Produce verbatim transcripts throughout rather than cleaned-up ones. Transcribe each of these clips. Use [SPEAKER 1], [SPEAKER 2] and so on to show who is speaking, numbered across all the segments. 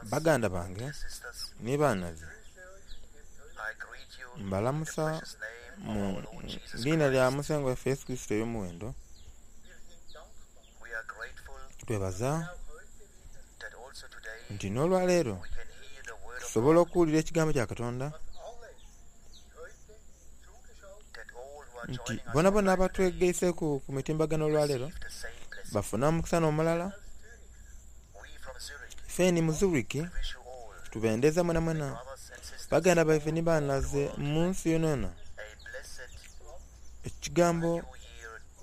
[SPEAKER 1] Baganda bange
[SPEAKER 2] dear sisters,
[SPEAKER 1] ni baanaze,
[SPEAKER 2] I greet you in the
[SPEAKER 1] mbalamusa
[SPEAKER 2] precious name of
[SPEAKER 1] mu
[SPEAKER 2] our Lord Jesus
[SPEAKER 1] liina lya
[SPEAKER 2] Christ.
[SPEAKER 1] Musengwa waffe Yesu Kristo ery'omuwendo.
[SPEAKER 2] We are grateful
[SPEAKER 1] Twebaza
[SPEAKER 2] that also today
[SPEAKER 1] nti n'olwaleero
[SPEAKER 2] we can hear the word of
[SPEAKER 1] tusobola
[SPEAKER 2] God,
[SPEAKER 1] okuwulira ekigambo kya Katonda,
[SPEAKER 2] that all who are
[SPEAKER 1] nti
[SPEAKER 2] joining us
[SPEAKER 1] bonabona
[SPEAKER 2] online today
[SPEAKER 1] abatwegaiseku ku mitimbagano olwaleero
[SPEAKER 2] receive the same blessing.
[SPEAKER 1] bafune omukisa n'omulala.
[SPEAKER 2] We from Zurich
[SPEAKER 1] Ffeni mu Zurich
[SPEAKER 2] wish you all,
[SPEAKER 1] tubendeza mwenamwena
[SPEAKER 2] brothers and sisters,
[SPEAKER 1] baganda baife ni baanaze mu nsi yonayona
[SPEAKER 2] a blessed
[SPEAKER 1] ekigambo
[SPEAKER 2] new year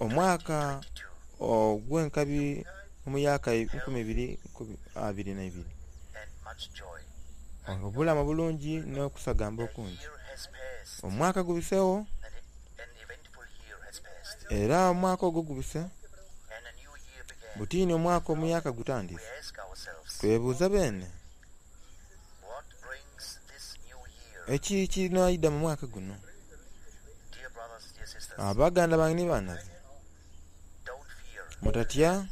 [SPEAKER 1] omwaka
[SPEAKER 2] twenty twenty-two.
[SPEAKER 1] ogw'enkabi omuyaka enkumi ibiri nkumi abiri na ibiri,
[SPEAKER 2] And much joy.
[SPEAKER 1] obulamu obulungi n'okusagamba
[SPEAKER 2] A
[SPEAKER 1] okungi.
[SPEAKER 2] year has passed,
[SPEAKER 1] Omwaka gubiseewo
[SPEAKER 2] an, an eventful year has passed,
[SPEAKER 1] era omwaka ogwo gubise,
[SPEAKER 2] and a new year began.
[SPEAKER 1] butiini omwaka omuyaka
[SPEAKER 2] We
[SPEAKER 1] gutandise.
[SPEAKER 2] ask ourselves,
[SPEAKER 1] Twebuuza beene
[SPEAKER 2] what brings this new year?
[SPEAKER 1] eki kinaayidda mu mwaka guno.
[SPEAKER 2] Dear brothers, dear sisters,
[SPEAKER 1] Abaganda bange ni baanaze,
[SPEAKER 2] don't fear.
[SPEAKER 1] mutatya,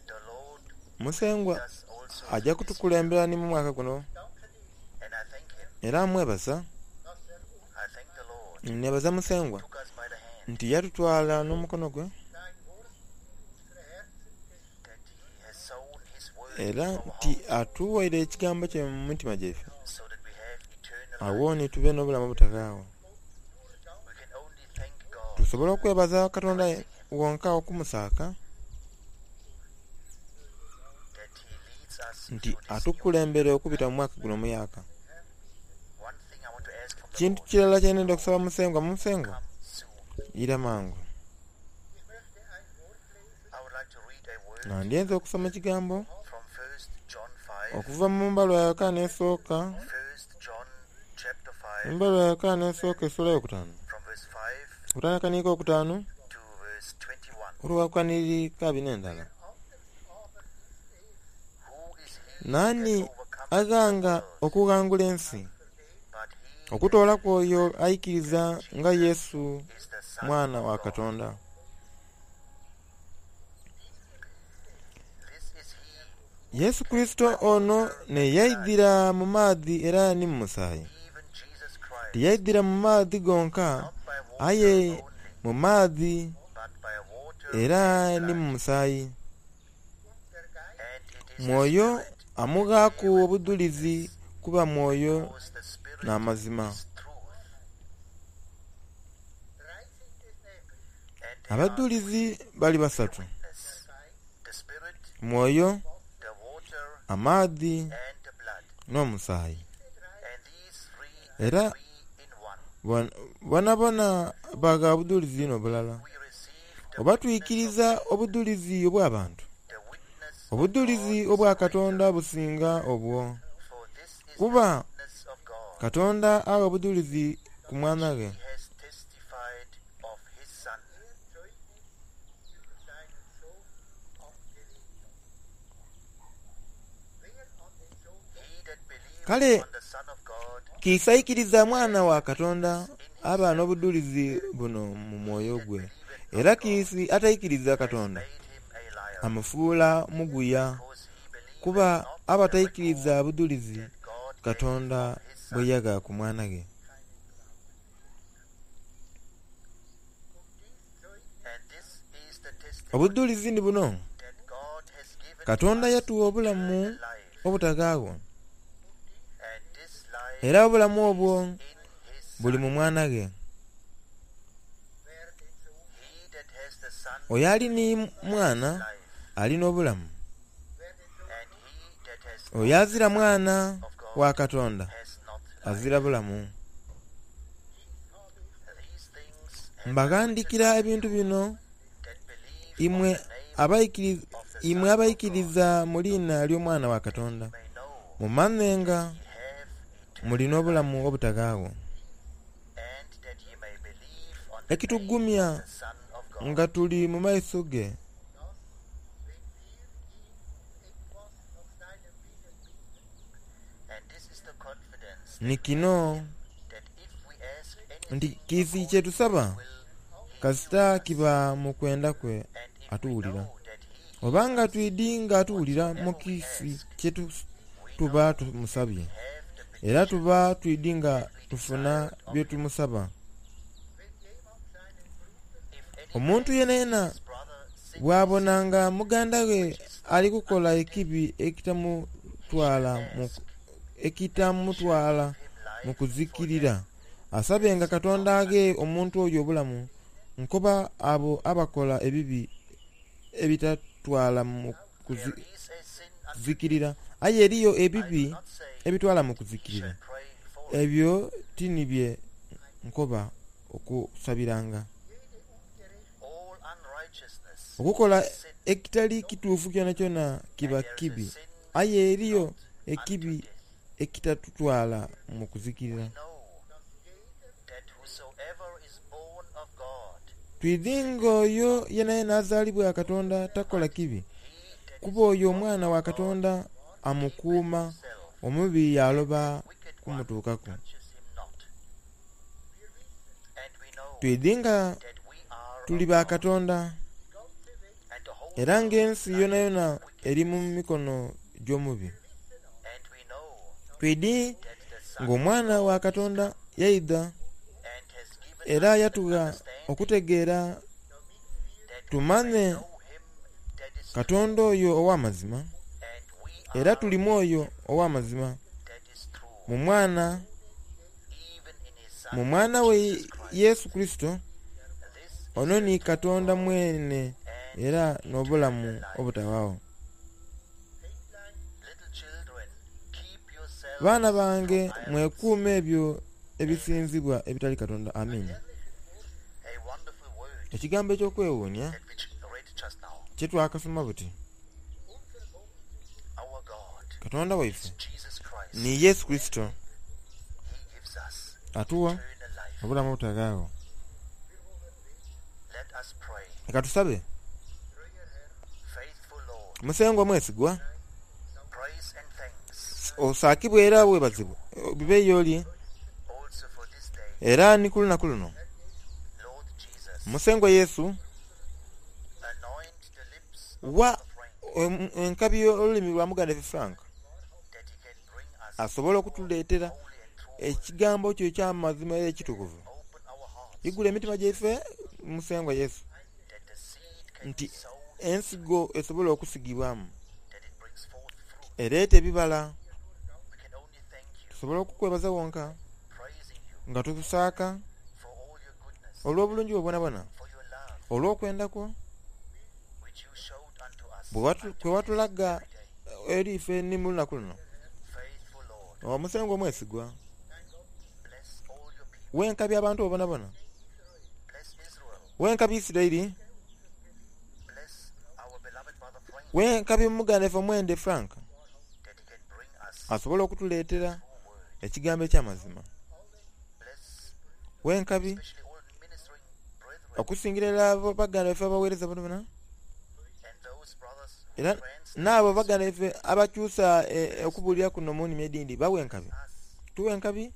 [SPEAKER 2] The Lord
[SPEAKER 1] Musengwa
[SPEAKER 2] does also
[SPEAKER 1] ajja
[SPEAKER 2] this year,
[SPEAKER 1] kutukulembera ni mu mwaka guno,
[SPEAKER 2] and I thank him.
[SPEAKER 1] era mwebaza,
[SPEAKER 2] I thank the Lord
[SPEAKER 1] nebaza Musengwa
[SPEAKER 2] took us by the hand,
[SPEAKER 1] nti yatutwala n'omukono gwe
[SPEAKER 2] that he has sown his word
[SPEAKER 1] era
[SPEAKER 2] into our
[SPEAKER 1] nti
[SPEAKER 2] hearts,
[SPEAKER 1] atuwaire ekigambo kye mu mitima gyaffe,
[SPEAKER 2] so that we have eternal
[SPEAKER 1] awo
[SPEAKER 2] life.
[SPEAKER 1] ni tube n'obulamu obutagaawo.
[SPEAKER 2] We can only thank God,
[SPEAKER 1] Tusobole okwebaza Katonda
[SPEAKER 2] praising him,
[SPEAKER 1] wonka okumusaaka
[SPEAKER 2] that he leads us
[SPEAKER 1] nti
[SPEAKER 2] through this new year.
[SPEAKER 1] atukulembera okubita mu mwaka guno omuyaka.
[SPEAKER 2] One thing I want to ask from the
[SPEAKER 1] Kintu
[SPEAKER 2] Lord,
[SPEAKER 1] kirala kye nenda okusaba Musengwa, Musengwa
[SPEAKER 2] come soon.
[SPEAKER 1] ira mangu.
[SPEAKER 2] I would like to read a word
[SPEAKER 1] Nga ndyenza okusoma ekigambo
[SPEAKER 2] from First John five,
[SPEAKER 1] okuva mu mbalwa ya Yokaana esooka,
[SPEAKER 2] First John chapter five,
[SPEAKER 1] embalwa ya Yokaana esooka essula eyokutaano,
[SPEAKER 2] from verse five
[SPEAKER 1] okutandika n'ika okutaano
[SPEAKER 2] to verse twenty-one.
[SPEAKER 1] olwakaniri kabi n'endala.
[SPEAKER 2] Who is he that
[SPEAKER 1] Naani
[SPEAKER 2] overcometh the
[SPEAKER 1] aghanga
[SPEAKER 2] world
[SPEAKER 1] okughangula ensi
[SPEAKER 2] but he that
[SPEAKER 1] okutoolaku oyo
[SPEAKER 2] believeth
[SPEAKER 1] ayikiriza
[SPEAKER 2] that
[SPEAKER 1] nga
[SPEAKER 2] Jesus
[SPEAKER 1] Yesu
[SPEAKER 2] is the Son
[SPEAKER 1] mwana
[SPEAKER 2] of
[SPEAKER 1] wa
[SPEAKER 2] God?
[SPEAKER 1] Katonda.
[SPEAKER 2] This is he
[SPEAKER 1] Yesu Kristo ono ne yaidhira mu maadhi era ni mu musaayi.
[SPEAKER 2] even Jesus Christ,
[SPEAKER 1] Tiyaidhira mu maadhi gonka,
[SPEAKER 2] not by water
[SPEAKER 1] aye
[SPEAKER 2] only,
[SPEAKER 1] mu maadhi
[SPEAKER 2] but by water
[SPEAKER 1] era
[SPEAKER 2] and
[SPEAKER 1] ni mu
[SPEAKER 2] blood.
[SPEAKER 1] musaayi.
[SPEAKER 2] And it is the
[SPEAKER 1] Mwoyo
[SPEAKER 2] Spirit that
[SPEAKER 1] amughaaku
[SPEAKER 2] beareth
[SPEAKER 1] obujulizi
[SPEAKER 2] witness,
[SPEAKER 1] kuba mwoyo
[SPEAKER 2] because the Spirit
[SPEAKER 1] n'amazima.
[SPEAKER 2] is truth. And there are
[SPEAKER 1] Abajulizi
[SPEAKER 2] three
[SPEAKER 1] bali
[SPEAKER 2] bear
[SPEAKER 1] basatu:
[SPEAKER 2] witness, the Spirit,
[SPEAKER 1] mwoyo,
[SPEAKER 2] the water,
[SPEAKER 1] amaadhi
[SPEAKER 2] and the blood.
[SPEAKER 1] n'omusaayi.
[SPEAKER 2] And these three
[SPEAKER 1] Era
[SPEAKER 2] agree in one.
[SPEAKER 1] bon- bonabona bagha bujulizi n'obulala.
[SPEAKER 2] We receive the
[SPEAKER 1] Oba
[SPEAKER 2] witness of
[SPEAKER 1] twikiriza
[SPEAKER 2] men,
[SPEAKER 1] obujulizi obw'abantu,
[SPEAKER 2] the witness of
[SPEAKER 1] obujulizi
[SPEAKER 2] God is
[SPEAKER 1] obwa
[SPEAKER 2] greater,
[SPEAKER 1] Katonda businga obwo,
[SPEAKER 2] for this is the
[SPEAKER 1] kuba
[SPEAKER 2] witness of God,
[SPEAKER 1] Katonda agha obujulizi ku
[SPEAKER 2] which
[SPEAKER 1] mwana
[SPEAKER 2] he
[SPEAKER 1] ghe.
[SPEAKER 2] has testified of his Son. He that believeth
[SPEAKER 1] Kale
[SPEAKER 2] on the Son of God
[SPEAKER 1] kiisaikiriza mwana wa Katonda
[SPEAKER 2] in
[SPEAKER 1] aba
[SPEAKER 2] himself.
[SPEAKER 1] n'obujulizi buno mu
[SPEAKER 2] He
[SPEAKER 1] mwoyo
[SPEAKER 2] that
[SPEAKER 1] gwe,
[SPEAKER 2] believeth
[SPEAKER 1] era
[SPEAKER 2] not God
[SPEAKER 1] kiisi ataikiriza
[SPEAKER 2] has
[SPEAKER 1] Katonda
[SPEAKER 2] made him a liar,
[SPEAKER 1] amufuula muguya,
[SPEAKER 2] because he believeth
[SPEAKER 1] kuba
[SPEAKER 2] not the
[SPEAKER 1] aba
[SPEAKER 2] record
[SPEAKER 1] taikiriza bujulizi
[SPEAKER 2] that God gave
[SPEAKER 1] Katonda
[SPEAKER 2] of his
[SPEAKER 1] bwe
[SPEAKER 2] Son.
[SPEAKER 1] yagha ku mwana ghe.
[SPEAKER 2] And this is the testimony
[SPEAKER 1] Obujulizi ni buno:
[SPEAKER 2] that God has given to
[SPEAKER 1] Katonda
[SPEAKER 2] us
[SPEAKER 1] yatuwa obulamu
[SPEAKER 2] eternal life,
[SPEAKER 1] obutagaawo,
[SPEAKER 2] and this life
[SPEAKER 1] era obulamu
[SPEAKER 2] is
[SPEAKER 1] obwo
[SPEAKER 2] in his
[SPEAKER 1] buli mu
[SPEAKER 2] Son.
[SPEAKER 1] mwana ghe.
[SPEAKER 2] He that has the Son
[SPEAKER 1] Oyo ali ni
[SPEAKER 2] has
[SPEAKER 1] mwana
[SPEAKER 2] life,
[SPEAKER 1] alina obulamu,
[SPEAKER 2] and he that has
[SPEAKER 1] oyo
[SPEAKER 2] not the
[SPEAKER 1] azira
[SPEAKER 2] Son
[SPEAKER 1] mwana
[SPEAKER 2] of
[SPEAKER 1] wa
[SPEAKER 2] God
[SPEAKER 1] Katonda
[SPEAKER 2] has not life.
[SPEAKER 1] azira bulamu.
[SPEAKER 2] These things have I written
[SPEAKER 1] Mbaghandikira
[SPEAKER 2] unto
[SPEAKER 1] ebintu
[SPEAKER 2] you
[SPEAKER 1] bino
[SPEAKER 2] that believe on
[SPEAKER 1] imwe
[SPEAKER 2] the name
[SPEAKER 1] abaikiriza
[SPEAKER 2] of the
[SPEAKER 1] imwe
[SPEAKER 2] Son of God,
[SPEAKER 1] abaikiriza mu liina ly'omwana wa Katonda,
[SPEAKER 2] ye may know
[SPEAKER 1] mumanhe nga
[SPEAKER 2] that ye have
[SPEAKER 1] mulina
[SPEAKER 2] eternal
[SPEAKER 1] obulamu
[SPEAKER 2] life,
[SPEAKER 1] obutagaawo.
[SPEAKER 2] and that ye may believe on the name of
[SPEAKER 1] Ekitugumya
[SPEAKER 2] the Son of God.
[SPEAKER 1] nga tuli mu maiso ge
[SPEAKER 2] And this is the confidence
[SPEAKER 1] ni
[SPEAKER 2] that we have in
[SPEAKER 1] kino
[SPEAKER 2] him, that if we ask
[SPEAKER 1] nti
[SPEAKER 2] anything
[SPEAKER 1] kiisi
[SPEAKER 2] according
[SPEAKER 1] kye
[SPEAKER 2] to his
[SPEAKER 1] tusaba
[SPEAKER 2] will, he
[SPEAKER 1] kasita
[SPEAKER 2] heareth us.
[SPEAKER 1] kiba mu kwenda kwe
[SPEAKER 2] And if we
[SPEAKER 1] atuwulira.
[SPEAKER 2] know that he
[SPEAKER 1] Obanga twidi nga atuwulira mu kiisi kye tuba tumusabye, era tuba twidi nga tufuna bye tumusaba. Omuntu yenayena bw'abonanga muganda we ali kukola ekibi ekitamutwala mu ekitamutwala mu kuzikirira, asabenga Katonda aghe omuntu oyo obulamu, nkoba abo abakola ebibi ebitatwala mu
[SPEAKER 2] There is a sin unto
[SPEAKER 1] kuzikirira. Aye eriyo
[SPEAKER 2] I
[SPEAKER 1] ebibi
[SPEAKER 2] do not say
[SPEAKER 1] ebitwala mu
[SPEAKER 2] he
[SPEAKER 1] kuzikirira,
[SPEAKER 2] shall pray for it.
[SPEAKER 1] ebyo ti nibye nkoba okusabiranga.
[SPEAKER 2] All unrighteousness
[SPEAKER 1] Okukola
[SPEAKER 2] is sin,
[SPEAKER 1] ekitali kituufu kyonakyona
[SPEAKER 2] and
[SPEAKER 1] kiba
[SPEAKER 2] there is a
[SPEAKER 1] kibi,
[SPEAKER 2] sin
[SPEAKER 1] aye eriyo
[SPEAKER 2] not unto
[SPEAKER 1] ekibi
[SPEAKER 2] death.
[SPEAKER 1] ekitatutwala mu
[SPEAKER 2] We
[SPEAKER 1] kuzikirira.
[SPEAKER 2] know that whosoever is born of God,
[SPEAKER 1] Twidi ng'oyo yenayena azaalibwa Katonda takola kibi,
[SPEAKER 2] he that
[SPEAKER 1] kuba
[SPEAKER 2] is
[SPEAKER 1] oyo
[SPEAKER 2] begotten
[SPEAKER 1] omwana wa
[SPEAKER 2] of God
[SPEAKER 1] Katonda amukuuma,
[SPEAKER 2] keepeth himself,
[SPEAKER 1] omubi yaloba
[SPEAKER 2] wicked one
[SPEAKER 1] kumutuukaku.
[SPEAKER 2] touches him not. And we know
[SPEAKER 1] Twidi nga
[SPEAKER 2] that we are
[SPEAKER 1] tuli
[SPEAKER 2] of
[SPEAKER 1] ba
[SPEAKER 2] God,
[SPEAKER 1] Katonda,
[SPEAKER 2] and the whole
[SPEAKER 1] era
[SPEAKER 2] world
[SPEAKER 1] ng'ensi
[SPEAKER 2] lieth
[SPEAKER 1] yonayona
[SPEAKER 2] in
[SPEAKER 1] eri mu
[SPEAKER 2] wickedness.
[SPEAKER 1] mikono gy'omubi.
[SPEAKER 2] And we know
[SPEAKER 1] Twidi
[SPEAKER 2] that the Son of
[SPEAKER 1] ng'omwana wa
[SPEAKER 2] God is
[SPEAKER 1] Katonda
[SPEAKER 2] come
[SPEAKER 1] yaidha
[SPEAKER 2] and has given
[SPEAKER 1] era
[SPEAKER 2] us an
[SPEAKER 1] yatugha
[SPEAKER 2] understanding
[SPEAKER 1] okutegeera
[SPEAKER 2] that we may
[SPEAKER 1] tumanye
[SPEAKER 2] know him that is true,
[SPEAKER 1] Katonda oyo ow'amazima,
[SPEAKER 2] and we
[SPEAKER 1] era
[SPEAKER 2] are
[SPEAKER 1] tulimu
[SPEAKER 2] in
[SPEAKER 1] oyo
[SPEAKER 2] him
[SPEAKER 1] ow'amazima
[SPEAKER 2] that is true,
[SPEAKER 1] mu mwana
[SPEAKER 2] even in his
[SPEAKER 1] mu
[SPEAKER 2] Son
[SPEAKER 1] mwana we
[SPEAKER 2] Jesus Christ.
[SPEAKER 1] Yesu Kristo.
[SPEAKER 2] This is
[SPEAKER 1] Ono
[SPEAKER 2] the
[SPEAKER 1] ni
[SPEAKER 2] true
[SPEAKER 1] Katonda
[SPEAKER 2] God
[SPEAKER 1] mwene
[SPEAKER 2] and
[SPEAKER 1] era
[SPEAKER 2] eternal
[SPEAKER 1] n'obulamu
[SPEAKER 2] life.
[SPEAKER 1] obutawaawo.
[SPEAKER 2] Little children, keep yourselves
[SPEAKER 1] Baana bange
[SPEAKER 2] from idols.
[SPEAKER 1] mwekuume ebyo ebisinzibwa ebitali Katonda. Amiina.
[SPEAKER 2] A wonderful word
[SPEAKER 1] Ekigambo ekyokwewuunya
[SPEAKER 2] that we read just now.
[SPEAKER 1] kye twakasoma buti,
[SPEAKER 2] Our God
[SPEAKER 1] Katonda waife
[SPEAKER 2] is Jesus Christ.
[SPEAKER 1] ni Yesu Kristo
[SPEAKER 2] He gives us
[SPEAKER 1] atuwa
[SPEAKER 2] eternal life.
[SPEAKER 1] obulamu obutagaawo.
[SPEAKER 2] Let us pray.
[SPEAKER 1] Leka tusabe.
[SPEAKER 2] Faithful Lord,
[SPEAKER 1] Musengwa mwesigwa,
[SPEAKER 2] praise and thanks
[SPEAKER 1] osaakibwe era weebazibwe bibe y'oli
[SPEAKER 2] also for this day.
[SPEAKER 1] era ni ku lunaku luno.
[SPEAKER 2] Lord Jesus,
[SPEAKER 1] Musengwa Yesu,
[SPEAKER 2] anoint the lips of
[SPEAKER 1] wa
[SPEAKER 2] Brother Frank
[SPEAKER 1] em- enkabi olulimi lwa muganda waffe Frank
[SPEAKER 2] that he can bring us
[SPEAKER 1] asobole okutuleetera
[SPEAKER 2] holy and true word.
[SPEAKER 1] ekigambo kyo eky'amazima era ekitukuvu.
[SPEAKER 2] Open our hearts
[SPEAKER 1] Igula emitima gyaife Musengwa Yesu
[SPEAKER 2] that the seed can be
[SPEAKER 1] nti
[SPEAKER 2] sown,
[SPEAKER 1] ensigo esobola okusigibwamu
[SPEAKER 2] that it brings forth fruit.
[SPEAKER 1] ereeta ebibala.
[SPEAKER 2] We can only thank you,
[SPEAKER 1] Tusobole okukwebaza wonka
[SPEAKER 2] praising you
[SPEAKER 1] nga tukusaaka
[SPEAKER 2] for all your goodness,
[SPEAKER 1] olw'obulungi bwo bwonabwona,
[SPEAKER 2] for your love,
[SPEAKER 1] olw'okwenda kwo
[SPEAKER 2] which you showed unto us
[SPEAKER 1] bwe watu-
[SPEAKER 2] unto
[SPEAKER 1] kwe watulaga
[SPEAKER 2] this very day.
[SPEAKER 1] eri ife ni mu lunaku luno.
[SPEAKER 2] Faithful Lord,
[SPEAKER 1] Omusengwa omwesigwa,
[SPEAKER 2] bless all your people,
[SPEAKER 1] wenkabi abantu bobonabona,
[SPEAKER 2] bless Israel,
[SPEAKER 1] wenkabi Isirayiri,
[SPEAKER 2] bless our beloved brother Frank,
[SPEAKER 1] wenkabi muganda waffe omwende Frank
[SPEAKER 2] that he can bring us
[SPEAKER 1] asobole okutuleetera
[SPEAKER 2] true word.
[SPEAKER 1] ekigambo eky'amazima.
[SPEAKER 2] Bless
[SPEAKER 1] Wenkabi
[SPEAKER 2] especially all ministering brethren
[SPEAKER 1] okusingira ddala abo baganda baffe abaweereza bonabona
[SPEAKER 2] and those brothers who
[SPEAKER 1] era
[SPEAKER 2] translate
[SPEAKER 1] n'abo baganda baffe abakyusa eh, okubuulira kuno mu nnimi edindi bawe enkabi,
[SPEAKER 2] us,
[SPEAKER 1] tuwe enkabi
[SPEAKER 2] and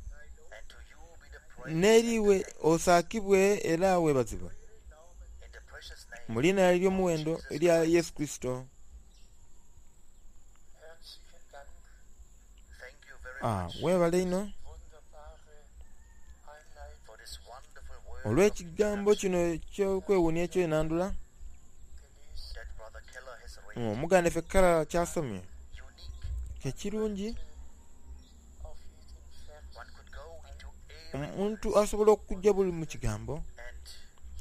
[SPEAKER 2] to you be the praise
[SPEAKER 1] n'eriwe osaakibwe era weebazibwe
[SPEAKER 2] in the precious name
[SPEAKER 1] mu linnya ery'omuwendo erya Yesu Kristo.
[SPEAKER 3] Herzlichen Dank,
[SPEAKER 2] Thank you very
[SPEAKER 1] Ah,
[SPEAKER 2] much
[SPEAKER 1] weebale ino
[SPEAKER 3] wunderbare Einleitung
[SPEAKER 2] for this wonderful word of
[SPEAKER 1] olw'ekigambo
[SPEAKER 2] introduction
[SPEAKER 1] kino ekyokwewuunya ekyenandula
[SPEAKER 3] gelesen.
[SPEAKER 2] that Brother Keller has read.
[SPEAKER 1] omuganda ffe Kala kyasomye
[SPEAKER 2] Unique.
[SPEAKER 1] kekirungi
[SPEAKER 3] Auf jeden Vers
[SPEAKER 2] One could go into every
[SPEAKER 1] omuntu asobola okujja buli mu kigambo
[SPEAKER 2] and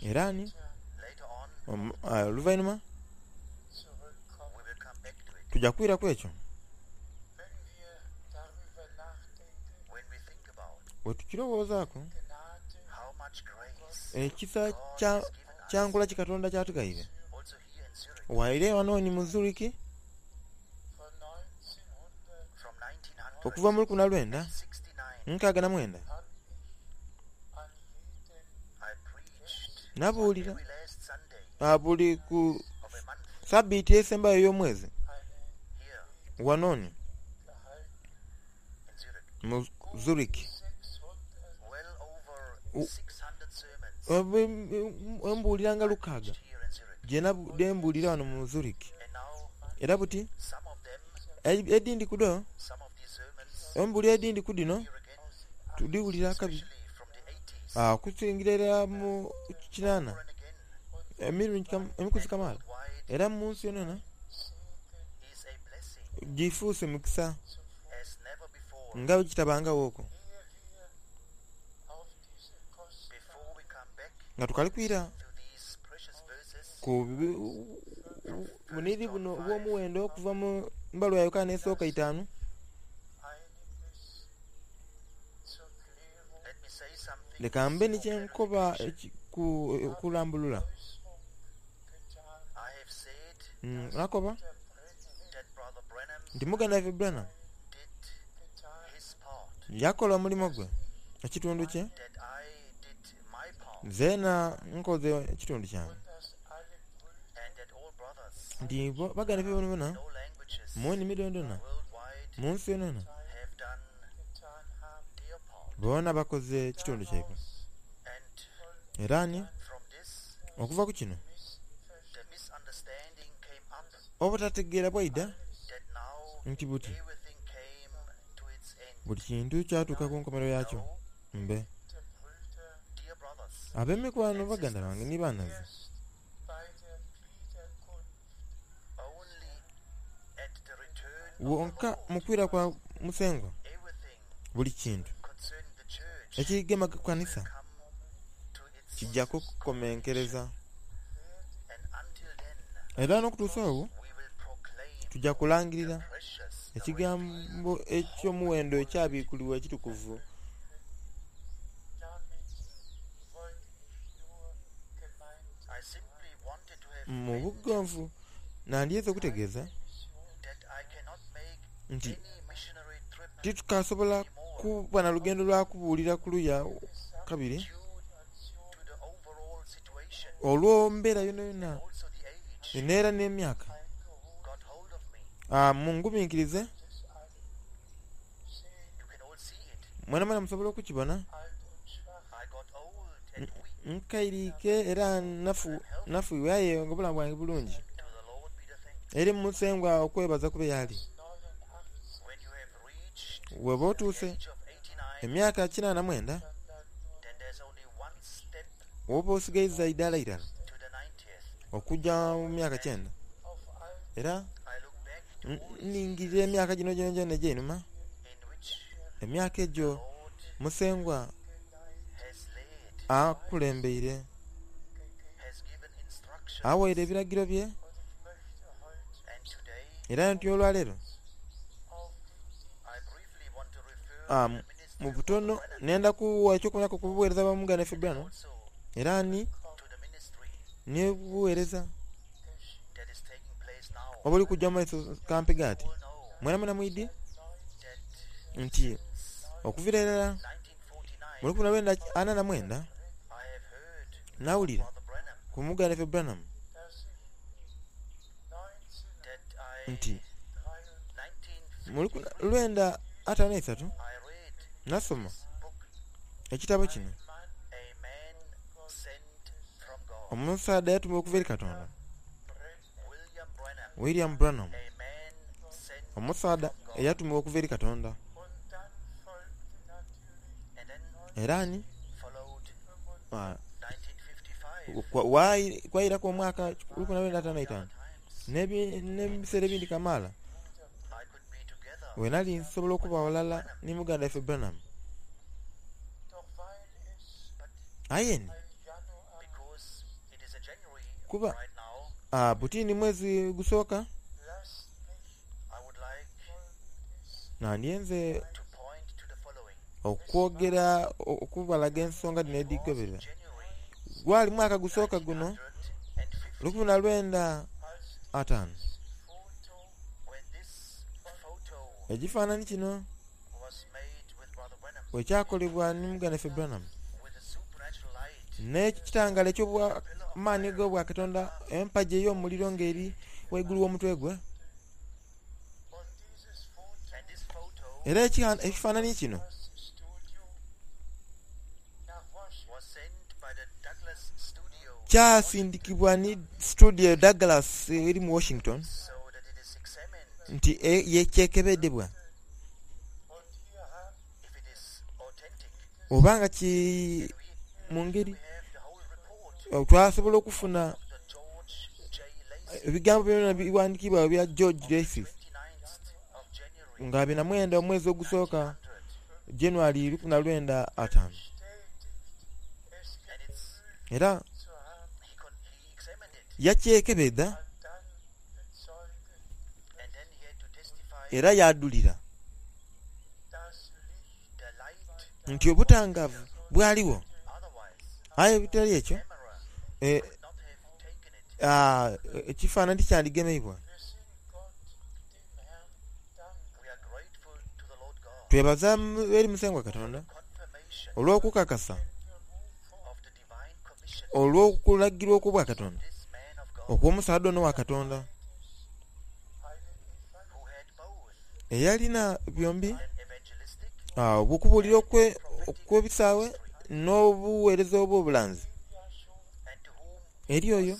[SPEAKER 1] era ni
[SPEAKER 2] later on
[SPEAKER 1] omu- ah, oluvannyuma
[SPEAKER 3] zurückkommen.
[SPEAKER 2] we will come back to it.
[SPEAKER 1] tujja kwiraku ekyo
[SPEAKER 3] Wenn wir darüber nachdenken,
[SPEAKER 2] When we think about
[SPEAKER 1] bwe tukirowoozaako
[SPEAKER 3] Gnade
[SPEAKER 2] how much grace
[SPEAKER 1] ekisa
[SPEAKER 2] God
[SPEAKER 1] kya
[SPEAKER 2] has given us
[SPEAKER 1] kyankola ki Katonda kyatugayire
[SPEAKER 2] also here in Zurich
[SPEAKER 1] waire wano ni mu Zurich
[SPEAKER 3] von neunzehnhundert
[SPEAKER 2] from nineteen
[SPEAKER 1] okuva mu lukumi na lwenda
[SPEAKER 2] sixty-nine
[SPEAKER 1] nkaaga na mwenda
[SPEAKER 3] habe ich an jedem
[SPEAKER 2] I preached
[SPEAKER 1] nabuulira
[SPEAKER 2] every last Sunday
[SPEAKER 1] ah, buli ku
[SPEAKER 2] of a month
[SPEAKER 1] sabbiiti esembayo ey'omwezi
[SPEAKER 3] eine
[SPEAKER 2] here
[SPEAKER 1] wanoni
[SPEAKER 3] gehalten.
[SPEAKER 2] in Zurich.
[SPEAKER 1] mu Zurich
[SPEAKER 3] sechshundert
[SPEAKER 2] Well over
[SPEAKER 1] U-
[SPEAKER 2] six hundred sermons
[SPEAKER 1] embuulira nga lukaaga
[SPEAKER 2] preached here in Zurich.
[SPEAKER 1] gye nabu- gye mbuulira wano mu Zurich
[SPEAKER 2] And
[SPEAKER 1] Era buti
[SPEAKER 2] Some of them,
[SPEAKER 1] edindi kudo
[SPEAKER 2] some of these sermons,
[SPEAKER 1] embuli edindi ku dino
[SPEAKER 2] here again,
[SPEAKER 1] tudiwulira kabi
[SPEAKER 2] especially from the eighties,
[SPEAKER 1] Ah, okusingira era mu kinaana
[SPEAKER 2] over and again,
[SPEAKER 1] emirundi kam- emikuzi kamaala
[SPEAKER 2] wide
[SPEAKER 1] era mu nsi yonayona
[SPEAKER 2] is a blessing
[SPEAKER 1] gifuuse mukisa
[SPEAKER 2] as never before.
[SPEAKER 1] nga bwe kitabangawo okwo
[SPEAKER 3] Ehe wir auf diese kostbaren
[SPEAKER 2] Before we come back
[SPEAKER 1] nga tukali kwira
[SPEAKER 2] to these precious verses,
[SPEAKER 1] ku bi- buniri buno obw'omuwendo okuva mu mbaluwa ya Yokaana esooka itaanu
[SPEAKER 3] einiges zur Klärung,
[SPEAKER 2] let me say something
[SPEAKER 1] leka mbe
[SPEAKER 2] for
[SPEAKER 1] nikyenkoba
[SPEAKER 2] clarification.
[SPEAKER 1] eki- ku- okulambulula
[SPEAKER 3] Äußerung getan,
[SPEAKER 2] I have said
[SPEAKER 1] Mm, nakoba
[SPEAKER 3] der Brennan
[SPEAKER 2] that Brother Branham
[SPEAKER 1] nti muganda waffe Branham
[SPEAKER 2] did
[SPEAKER 3] getan,
[SPEAKER 2] his part,
[SPEAKER 1] yakola omulimu gwe ekitundu kye
[SPEAKER 2] that I did my part,
[SPEAKER 1] zeena nkoze ekitundu kyange
[SPEAKER 3] und dass alle Brüder
[SPEAKER 2] and that all brothers,
[SPEAKER 1] nti bo- baganda ffe bonabona
[SPEAKER 2] no languages,
[SPEAKER 1] mu nnimi dondona
[SPEAKER 2] worldwide
[SPEAKER 1] mu nsi yonayona
[SPEAKER 2] have done
[SPEAKER 3] getan haben.
[SPEAKER 2] their part.
[SPEAKER 1] boona bakoze ekitundu kyaibwe
[SPEAKER 2] And
[SPEAKER 1] era ni
[SPEAKER 2] from this,
[SPEAKER 1] okuva ku kino
[SPEAKER 2] the misunderstanding came up
[SPEAKER 1] obutategeera bwaida
[SPEAKER 2] that now
[SPEAKER 1] nti buti
[SPEAKER 2] everything came to its end.
[SPEAKER 1] buli kintu kyatuuka ku nkomerero yakyo
[SPEAKER 2] No,
[SPEAKER 1] mbe
[SPEAKER 3] Der Brüder
[SPEAKER 2] dear brothers,
[SPEAKER 1] ab'emikwano baganda bange ni baanaze
[SPEAKER 3] erst bei der Wiederkunft
[SPEAKER 2] only at the return of the
[SPEAKER 1] wonka
[SPEAKER 2] Lord,
[SPEAKER 1] mu kwira kwa musengwa
[SPEAKER 2] everything
[SPEAKER 1] buli kintu
[SPEAKER 2] concerning the church
[SPEAKER 1] ekigema ku kanisa
[SPEAKER 2] will come to its
[SPEAKER 1] kijja kukomenkereza
[SPEAKER 2] and until then
[SPEAKER 1] era n'okutuusa obwo
[SPEAKER 2] we will proclaim
[SPEAKER 1] tujja kulangirira
[SPEAKER 2] the precious the
[SPEAKER 1] ekigambo eky'omuwendo ekyabiikulibwa ekitukuvu
[SPEAKER 3] Damit wollte ich nur gemeint
[SPEAKER 2] I simply wanted to have
[SPEAKER 1] mu
[SPEAKER 2] meant
[SPEAKER 1] buggonvu nandiyinza okutegeeza
[SPEAKER 2] that I cannot make
[SPEAKER 1] nti
[SPEAKER 2] any missionary trip
[SPEAKER 1] titukasobola kuba na lugendo lwa kubuulira ku luya kabiri
[SPEAKER 2] due to the overall situation,
[SPEAKER 1] olw'embeera yona yonna
[SPEAKER 2] also the age
[SPEAKER 1] neera n'emyaka
[SPEAKER 2] got hold of me.
[SPEAKER 1] Ah, mungumiikirize
[SPEAKER 3] des allen. Sehen
[SPEAKER 2] You can all see it.
[SPEAKER 1] mwena mwena musobola okukibona
[SPEAKER 3] alt und schwach,
[SPEAKER 2] I got old and weak.
[SPEAKER 1] nkairiike era nafu nafuiwe aye nga obulamu bwange bulungi
[SPEAKER 2] To the Lord be the thanks.
[SPEAKER 1] eri musengwa okwebaza kube yali
[SPEAKER 3] neunundachtzig,
[SPEAKER 2] When you have reached
[SPEAKER 1] weba
[SPEAKER 2] the
[SPEAKER 1] otuuse
[SPEAKER 2] age of eighty-nine,
[SPEAKER 1] emyaka kinaana mwenda
[SPEAKER 3] dann bleibt nur
[SPEAKER 2] then there's only one step
[SPEAKER 1] oba osigaiza idaala irala
[SPEAKER 2] to the ninetieth.
[SPEAKER 1] okujja mu myaka kyenda
[SPEAKER 3] auf all
[SPEAKER 1] era
[SPEAKER 2] I look back to
[SPEAKER 1] n-
[SPEAKER 2] all these
[SPEAKER 1] ningirira emyaka gino gyona gyona egy'einuma
[SPEAKER 2] in which
[SPEAKER 1] emyaka
[SPEAKER 2] the
[SPEAKER 1] egyo
[SPEAKER 2] Lord
[SPEAKER 1] musengwa
[SPEAKER 2] has led,
[SPEAKER 1] akulembeire
[SPEAKER 2] has given instructions,
[SPEAKER 1] awaire ebiragiro bye
[SPEAKER 3] und ich möchte heute
[SPEAKER 2] and today
[SPEAKER 1] era nti olwaleero
[SPEAKER 3] auf den
[SPEAKER 2] I briefly want to refer
[SPEAKER 1] ah,
[SPEAKER 2] to
[SPEAKER 1] mu-
[SPEAKER 2] the ministry
[SPEAKER 1] mu
[SPEAKER 2] of
[SPEAKER 1] butono
[SPEAKER 2] Brother Branham,
[SPEAKER 1] nenda kuwa ekyokulabirako ku buweereza bwa muganda waffe Branham
[SPEAKER 2] also
[SPEAKER 1] era ni
[SPEAKER 2] to the ministry
[SPEAKER 1] n'obuweereza
[SPEAKER 2] that is taking place now.
[SPEAKER 1] obuli kujja mu maiso kampiga ati
[SPEAKER 2] All know
[SPEAKER 1] mwena mwena mwidi
[SPEAKER 2] that
[SPEAKER 1] nti
[SPEAKER 2] since
[SPEAKER 1] okuviira irala
[SPEAKER 2] nineteen forty-nine,
[SPEAKER 1] mu lukumi lwenda ana na mwenda
[SPEAKER 2] I have heard
[SPEAKER 1] nawulira
[SPEAKER 2] Brother Branham
[SPEAKER 1] ku muganda waffe Branham
[SPEAKER 3] dass ich
[SPEAKER 2] that I
[SPEAKER 1] nti
[SPEAKER 2] nineteen
[SPEAKER 1] mu lukumi lwenda ataano n'esatu
[SPEAKER 2] I read
[SPEAKER 1] nasoma
[SPEAKER 2] this book,
[SPEAKER 1] ekitabo kino
[SPEAKER 2] A Man Sent from God.
[SPEAKER 1] omusaadha yatumibwa okuva eri Katonda
[SPEAKER 2] William Branham,
[SPEAKER 1] William Branham
[SPEAKER 2] a man sent
[SPEAKER 1] omusaadha
[SPEAKER 2] from God.
[SPEAKER 1] eyatumibwa okuva eri Katonda
[SPEAKER 3] Und dann folgte natürlich
[SPEAKER 2] And then
[SPEAKER 1] era ni
[SPEAKER 2] followed
[SPEAKER 1] ah,
[SPEAKER 2] nineteen fifty-five
[SPEAKER 1] kwa- wayi- kwayiraku omwaka lukumi lwenda ataano n'etaano
[SPEAKER 2] times.
[SPEAKER 1] n'ebi- n'ebiseera ebindi kamaala
[SPEAKER 2] I could be together
[SPEAKER 1] we nali nsobola okuba walala ne muganda waffe Branham
[SPEAKER 3] doch weil es
[SPEAKER 2] but
[SPEAKER 1] aye ni
[SPEAKER 3] ein Januar
[SPEAKER 2] because it is a January
[SPEAKER 1] Kuba
[SPEAKER 2] right now,
[SPEAKER 1] ah, butini mwezi gusooka
[SPEAKER 3] lasst mich
[SPEAKER 2] I would like
[SPEAKER 3] folgendes
[SPEAKER 1] nandyenze
[SPEAKER 2] to point to the following.
[SPEAKER 1] okwogera o- okubalaga ensonga dhino
[SPEAKER 2] It was
[SPEAKER 1] edhigoberera
[SPEAKER 2] January
[SPEAKER 1] gwali mwaka gusooka guno
[SPEAKER 2] nineteen fifty
[SPEAKER 1] lukumi na lwenda
[SPEAKER 3] als
[SPEAKER 1] ataano
[SPEAKER 3] dieses Foto
[SPEAKER 2] when this photo
[SPEAKER 1] ekifaananyi kino
[SPEAKER 2] was made with Brother Branham
[SPEAKER 1] bwe kyakolebwa ne muganda waffe Branham
[SPEAKER 2] with a supernatural light
[SPEAKER 1] n'ekitangala eky'obwamaanyi g'obwa Katonda empagi ey'omuliro ng'eri waigulu w'omutwe gwe
[SPEAKER 3] und dieses Foto
[SPEAKER 2] and this photo
[SPEAKER 1] era ekiha- ekifaananyi kino
[SPEAKER 3] das Studio nach Washington
[SPEAKER 2] was sent by the Douglas Studio
[SPEAKER 1] kyasindikibwa ni studio Douglas eri mu Washington
[SPEAKER 2] so that it is
[SPEAKER 1] Nti yekyekebedebwa oba nga ki mu ngeri twasobola okufuna ebigambo byona biwandikibwa bya George Lacy nga abiri na mwenda omwezi ogusooka January lukumi na lwenda ataano. Era yakyekebedha era yadulira nti obutangavu bwaliwo, aye ebitali ekyo ekifaananyi tikyandigemeibwa. Twebaza eri Musengwa Katonda olw'okukakasa olw'okulagirwa okw'obwa Katonda okw'omusaadha ono wa Katonda eyalina byombi okubuulira okw'ebisaawe n'obuweereza obw'obulanzi. Eri oyo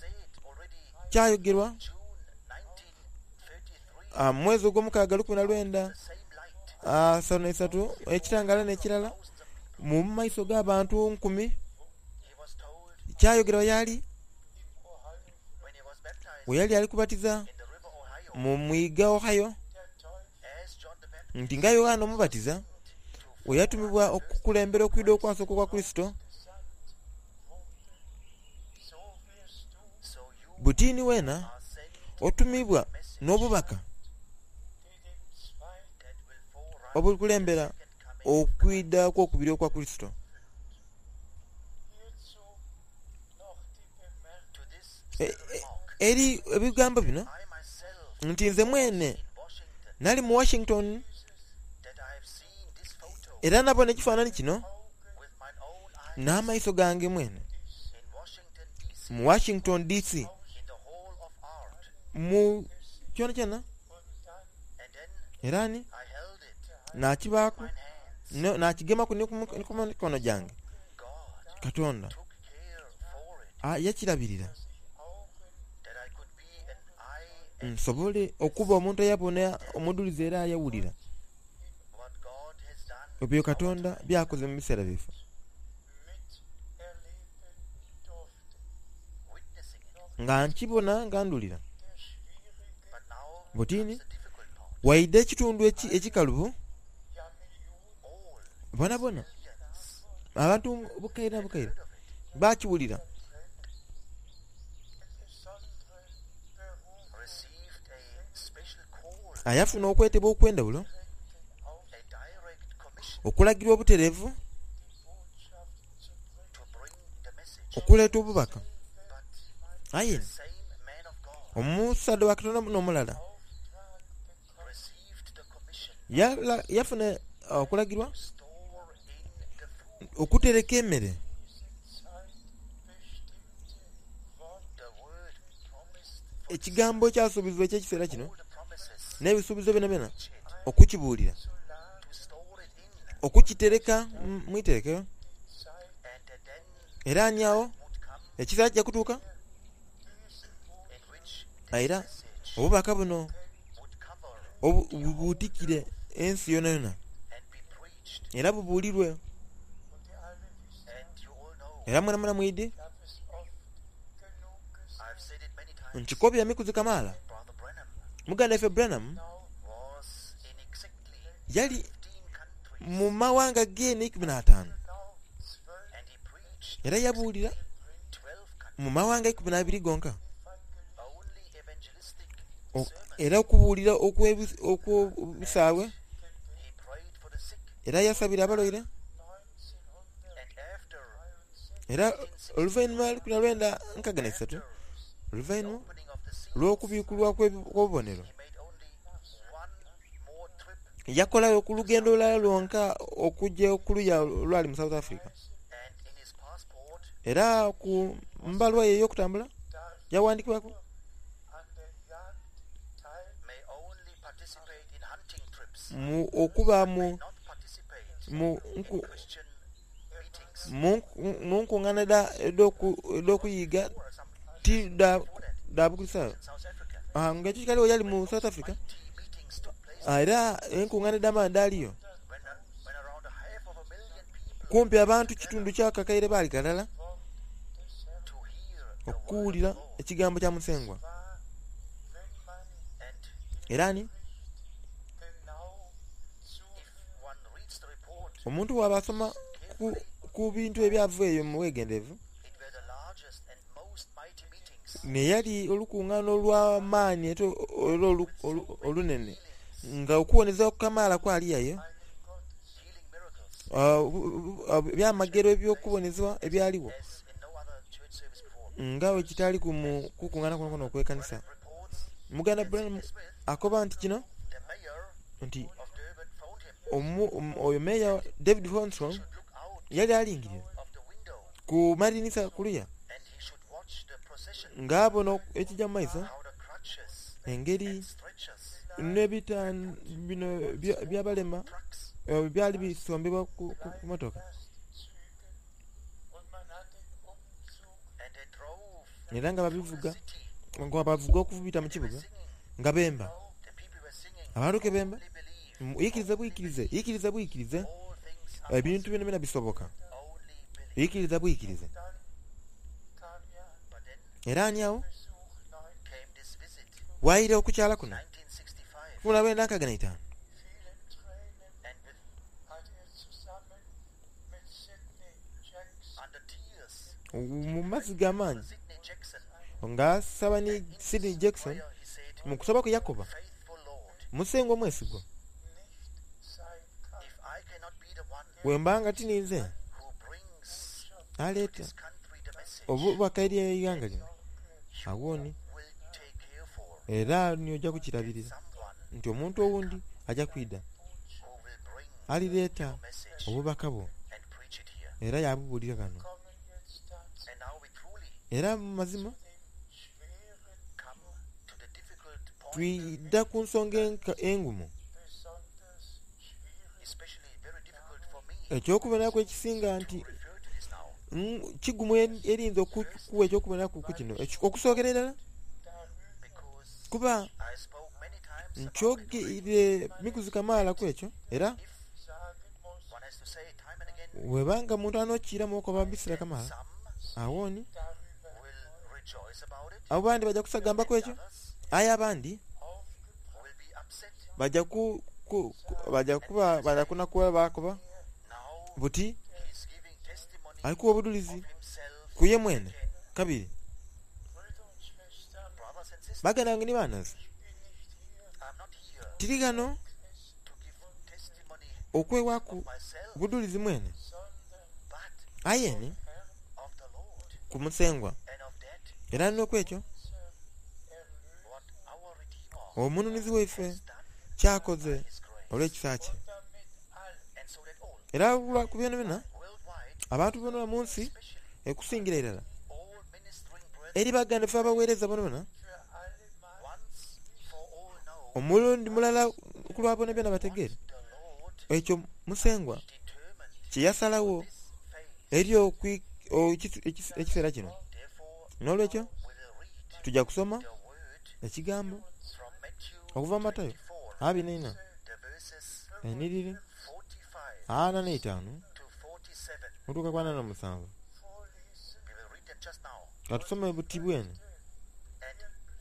[SPEAKER 1] kyayogerwa mwezi ogw'omukaaga lukumi na lwenda asanu na isatu ekitangala n'ekirala mu maiso g'abantu nkumi kyayogerwa yali bwe yali ali kubatiza mu mwiga Ohio nti nga Yohana Omubatiza bwe yatumibwa okukulembera okwidha okwasooka okwa Kurisito, butini weena otumibwa n'obubaka obulikulembera okwidha okwokubiri okwa Kurisito. Eri ebigambo bino nti nze mwene nali mu Washington era nabona ekifaananyi kino n'amaiso gange mwene mu Washington D C mu kyonakyona, era ni nakibaaku nakigemaku ni ku mikono gyange. Katonda yakirabirira nsobole okuba omuntu eyabona omudhulizi era ayawulira ebyo Katonda byakoze mu biseera byaife, nga nkibona nga ndhulira. Butini waidha ekitundu ekikalubo bonabona abantu bukaire na bukaire bakiwulira. Ayafuna okwetebwa okw'endhaghulo, okulagirwa obutereevu, okuleeta obubaka. Aye omusaadha wa Katonda n'omulala yafuna okulagirwa okutereka emere. Ekigambo ekyasuubizibwa eky'ekiseera kino n'ebisuubizo byonabyona okukibuulira, okukitereka mu iterekero, era ni agho ekiseera kija kutuuka era obubaka buno bubuutikire ensi yonayona era bubuulirwe. Era mwenamwena mwidhi nkikobye emikuzi kamaala, muganda waife Branham yali mu mawanga gene ikumi n'ataanu era yabuulira mu mawanga ikumi n'abiri gonka, era okubuulira okw'obusaawe, era yasabira abalwaire. Era oluvainhuma lukumi na lwenda nkaga na isatu, oluvainhuma olw'okubikulwa kw'obubonero, yakolayo ku lugendo lulala lwonka okugya ku luya olwali mu South Africa. Era ku mbalwa ye ey'okutambula yawandikibwaku mu okuba mu mu nkungaana edh'okuyiga ti dha Bukulisitaayo. Nga ekyo kikaligho yali mu South Africa Era enkuŋŋaana edh'amaani dhaaliyo.
[SPEAKER 2] When, when around a half of a million people
[SPEAKER 1] Kumpi abantu kitundu kya kakaire baali ghalala
[SPEAKER 3] des Herrn
[SPEAKER 2] to hear the word of
[SPEAKER 1] okuwulira
[SPEAKER 2] the Lord.
[SPEAKER 1] ekigambo kya Musengwa.
[SPEAKER 3] war, wenn man
[SPEAKER 2] And
[SPEAKER 1] Era ni
[SPEAKER 3] genau
[SPEAKER 2] if
[SPEAKER 3] zuhört,
[SPEAKER 2] one reads the report
[SPEAKER 1] omuntu bw'aba asoma ku, ku bintu ebyava eyo mu bwegenderevu,
[SPEAKER 2] it were the largest and most mighty meetings
[SPEAKER 1] neyali olukuŋŋaana olw'amaanyi ate era olu- olu- olunene nga okuwoneza okukamaala kwaliyayo
[SPEAKER 3] einen Gottes
[SPEAKER 2] healing miracles
[SPEAKER 1] ah, bu- bu- ah, ebyamagero eby'okubonezebwa ebyaliwo
[SPEAKER 2] as in no other church service before.
[SPEAKER 1] nga bwe kitaali ku mu kukuŋŋaana kuno kuno okw'ekkanisa.
[SPEAKER 2] Branham reports
[SPEAKER 1] Muganda
[SPEAKER 2] that
[SPEAKER 1] Branham
[SPEAKER 2] Sidney Smith,
[SPEAKER 1] akoba nti kino
[SPEAKER 2] the mayor
[SPEAKER 1] nti
[SPEAKER 2] of Durban, phoned him.
[SPEAKER 1] omu- omu- oyo meeya David Holmstrom
[SPEAKER 2] He should look out
[SPEAKER 1] yali alingirira
[SPEAKER 2] of the window
[SPEAKER 1] ku madinisa kuluya
[SPEAKER 2] and he should watch the procession,
[SPEAKER 1] ng'abona ekijja mu maiso
[SPEAKER 2] how the crutches
[SPEAKER 1] engeri
[SPEAKER 2] and stretchers,
[SPEAKER 1] n'ebita bino bya- byabalema
[SPEAKER 2] trucks,
[SPEAKER 1] eh, byali bisombebwa ku, ku, ku motoka
[SPEAKER 3] erst Züge und man hat den Umzug
[SPEAKER 2] and they drove
[SPEAKER 1] era nga
[SPEAKER 2] through the
[SPEAKER 1] babivuga
[SPEAKER 2] city.
[SPEAKER 1] nga bavuga okubita mu
[SPEAKER 2] They were
[SPEAKER 1] kibuga
[SPEAKER 2] singing.
[SPEAKER 1] nga bemba.
[SPEAKER 2] The people were singing.
[SPEAKER 1] Abantu ke bemba
[SPEAKER 2] Only believe.
[SPEAKER 1] Mm, yikiriza bwikirize yikiriza bwikirize
[SPEAKER 2] All things are
[SPEAKER 1] ebintu byona byona bisoboka
[SPEAKER 2] possible. Only believe.
[SPEAKER 1] yikiriza bwikirize.
[SPEAKER 3] dann kam ja
[SPEAKER 2] But then
[SPEAKER 1] Era ani awo
[SPEAKER 3] Besuch neun
[SPEAKER 2] came this visit,
[SPEAKER 1] waayira okukyala kuno
[SPEAKER 2] nineteen sixty-five,
[SPEAKER 1] kumi na lwenda nkaaga na itaano
[SPEAKER 3] vielen Tränen
[SPEAKER 2] and with
[SPEAKER 3] hat er zusammen mit Sidney Jackson
[SPEAKER 2] under tears,
[SPEAKER 1] mu mazzi g'amaanyi
[SPEAKER 2] Sidney Jackson,
[SPEAKER 1] ng'asaba ne
[SPEAKER 2] in his
[SPEAKER 1] Sidney Jackson
[SPEAKER 2] prayer he said,
[SPEAKER 1] mu kusaba kwe yakoba
[SPEAKER 2] "Faithful Lord,
[SPEAKER 1] musengwa omwesigwa
[SPEAKER 3] nicht sein kann.
[SPEAKER 2] if I cannot be the one
[SPEAKER 1] bwe mbanga tininze
[SPEAKER 2] who brings to
[SPEAKER 1] aleeta
[SPEAKER 2] this country the message
[SPEAKER 1] obubaka eri eighanga lino
[SPEAKER 2] you
[SPEAKER 1] awooni
[SPEAKER 2] will take care for,
[SPEAKER 1] era ni ojja kukirabirira
[SPEAKER 2] someone
[SPEAKER 1] nti omuntu owundi ajja kwida
[SPEAKER 2] who will bring
[SPEAKER 1] alireeta
[SPEAKER 2] your message
[SPEAKER 1] obubaka bwo
[SPEAKER 2] and preach it here."
[SPEAKER 1] era yabubuulira kano
[SPEAKER 3] Kommen jetzt dazu
[SPEAKER 2] And now we truly
[SPEAKER 1] era mu mazima
[SPEAKER 3] dem schweren,
[SPEAKER 2] come to the difficult point,
[SPEAKER 1] twidda ku nsonga enka- engumu
[SPEAKER 3] besonders schwierig
[SPEAKER 2] especially very difficult for me
[SPEAKER 1] ekyokubonerako ekisinga
[SPEAKER 2] to
[SPEAKER 1] nti
[SPEAKER 2] refer to this now.
[SPEAKER 1] mm, kigumu en- erinza okukuwa ekyokubonerako ku kino Eki- okusookera irala
[SPEAKER 3] darüber
[SPEAKER 2] Because
[SPEAKER 1] kuba
[SPEAKER 2] I spoke many times about it already.
[SPEAKER 1] nkyogeire mikuzi kamaala ku ekyo era
[SPEAKER 2] If
[SPEAKER 3] sagen muss,
[SPEAKER 2] one has to say it time and again,
[SPEAKER 1] webanga muntu anokiiramu okuba mbisira kamaala
[SPEAKER 2] some
[SPEAKER 1] awooni
[SPEAKER 3] darüber
[SPEAKER 2] will rejoice about it,
[SPEAKER 1] abo bandi bajja kusagambaku ekyo
[SPEAKER 2] others
[SPEAKER 1] aye abandi
[SPEAKER 3] aufgebracht
[SPEAKER 2] will be upset.
[SPEAKER 1] bajja ku, ku, ku, bajja kuba bajja kunakuwa bakoba
[SPEAKER 2] Now
[SPEAKER 1] buti
[SPEAKER 2] he is giving testimony
[SPEAKER 1] alikuwa
[SPEAKER 2] of
[SPEAKER 1] obudulizi
[SPEAKER 2] himself
[SPEAKER 1] ku ye mwene
[SPEAKER 2] again.
[SPEAKER 1] kabiri
[SPEAKER 3] Brüder und Schwestern,
[SPEAKER 2] Brothers and sisters,
[SPEAKER 1] baganda bange ni banazi
[SPEAKER 3] ich bin nicht hier,
[SPEAKER 2] I'm not here
[SPEAKER 1] tiri gano
[SPEAKER 2] to give testimony
[SPEAKER 1] okwewaku
[SPEAKER 2] of myself,
[SPEAKER 1] budulizi mwene
[SPEAKER 3] sondern
[SPEAKER 2] but
[SPEAKER 1] ayeni
[SPEAKER 3] Herrn
[SPEAKER 2] of the Lord
[SPEAKER 1] ku musengwa
[SPEAKER 2] and of that
[SPEAKER 1] era n'okwekyo
[SPEAKER 3] unser Erlöser
[SPEAKER 2] what our Redeemer
[SPEAKER 1] omununuzi waife
[SPEAKER 2] has done
[SPEAKER 1] kyakoze
[SPEAKER 2] by his grace.
[SPEAKER 1] olw'ekisa kye
[SPEAKER 3] und damit alle
[SPEAKER 2] And so that all
[SPEAKER 1] era lwa- ku byona byona
[SPEAKER 2] worldwide,
[SPEAKER 1] abantu bona mu nsi
[SPEAKER 2] especially
[SPEAKER 1] ekusingira irala
[SPEAKER 2] all ministering brethren,
[SPEAKER 1] eri baganda ffe abaweereza bona bona
[SPEAKER 3] für alle Mal
[SPEAKER 2] once for all know
[SPEAKER 1] omulundi mulala ku lwa bona byona bategeere
[SPEAKER 2] the Lord
[SPEAKER 1] ekyo musengwa
[SPEAKER 2] determined
[SPEAKER 1] kye yasalawo
[SPEAKER 2] this phase.
[SPEAKER 1] eri okwi- o- ekis- ekis- ekiseera kino
[SPEAKER 2] Therefore,
[SPEAKER 1] n'olwekyo
[SPEAKER 2] we will read
[SPEAKER 1] tujja kusoma
[SPEAKER 2] the word
[SPEAKER 1] ekigambo
[SPEAKER 2] from Matthew
[SPEAKER 1] okuva mu Matayo
[SPEAKER 2] twenty-four,
[SPEAKER 1] abiri n'ena
[SPEAKER 2] the verses
[SPEAKER 1] eniriri
[SPEAKER 2] forty-five
[SPEAKER 1] ana n'etaano
[SPEAKER 2] to forty-seven.
[SPEAKER 1] okutuuka ku ana n'omusanvu
[SPEAKER 3] vorlesen
[SPEAKER 2] We will read them just now.
[SPEAKER 1] katusome buti bwene
[SPEAKER 2] And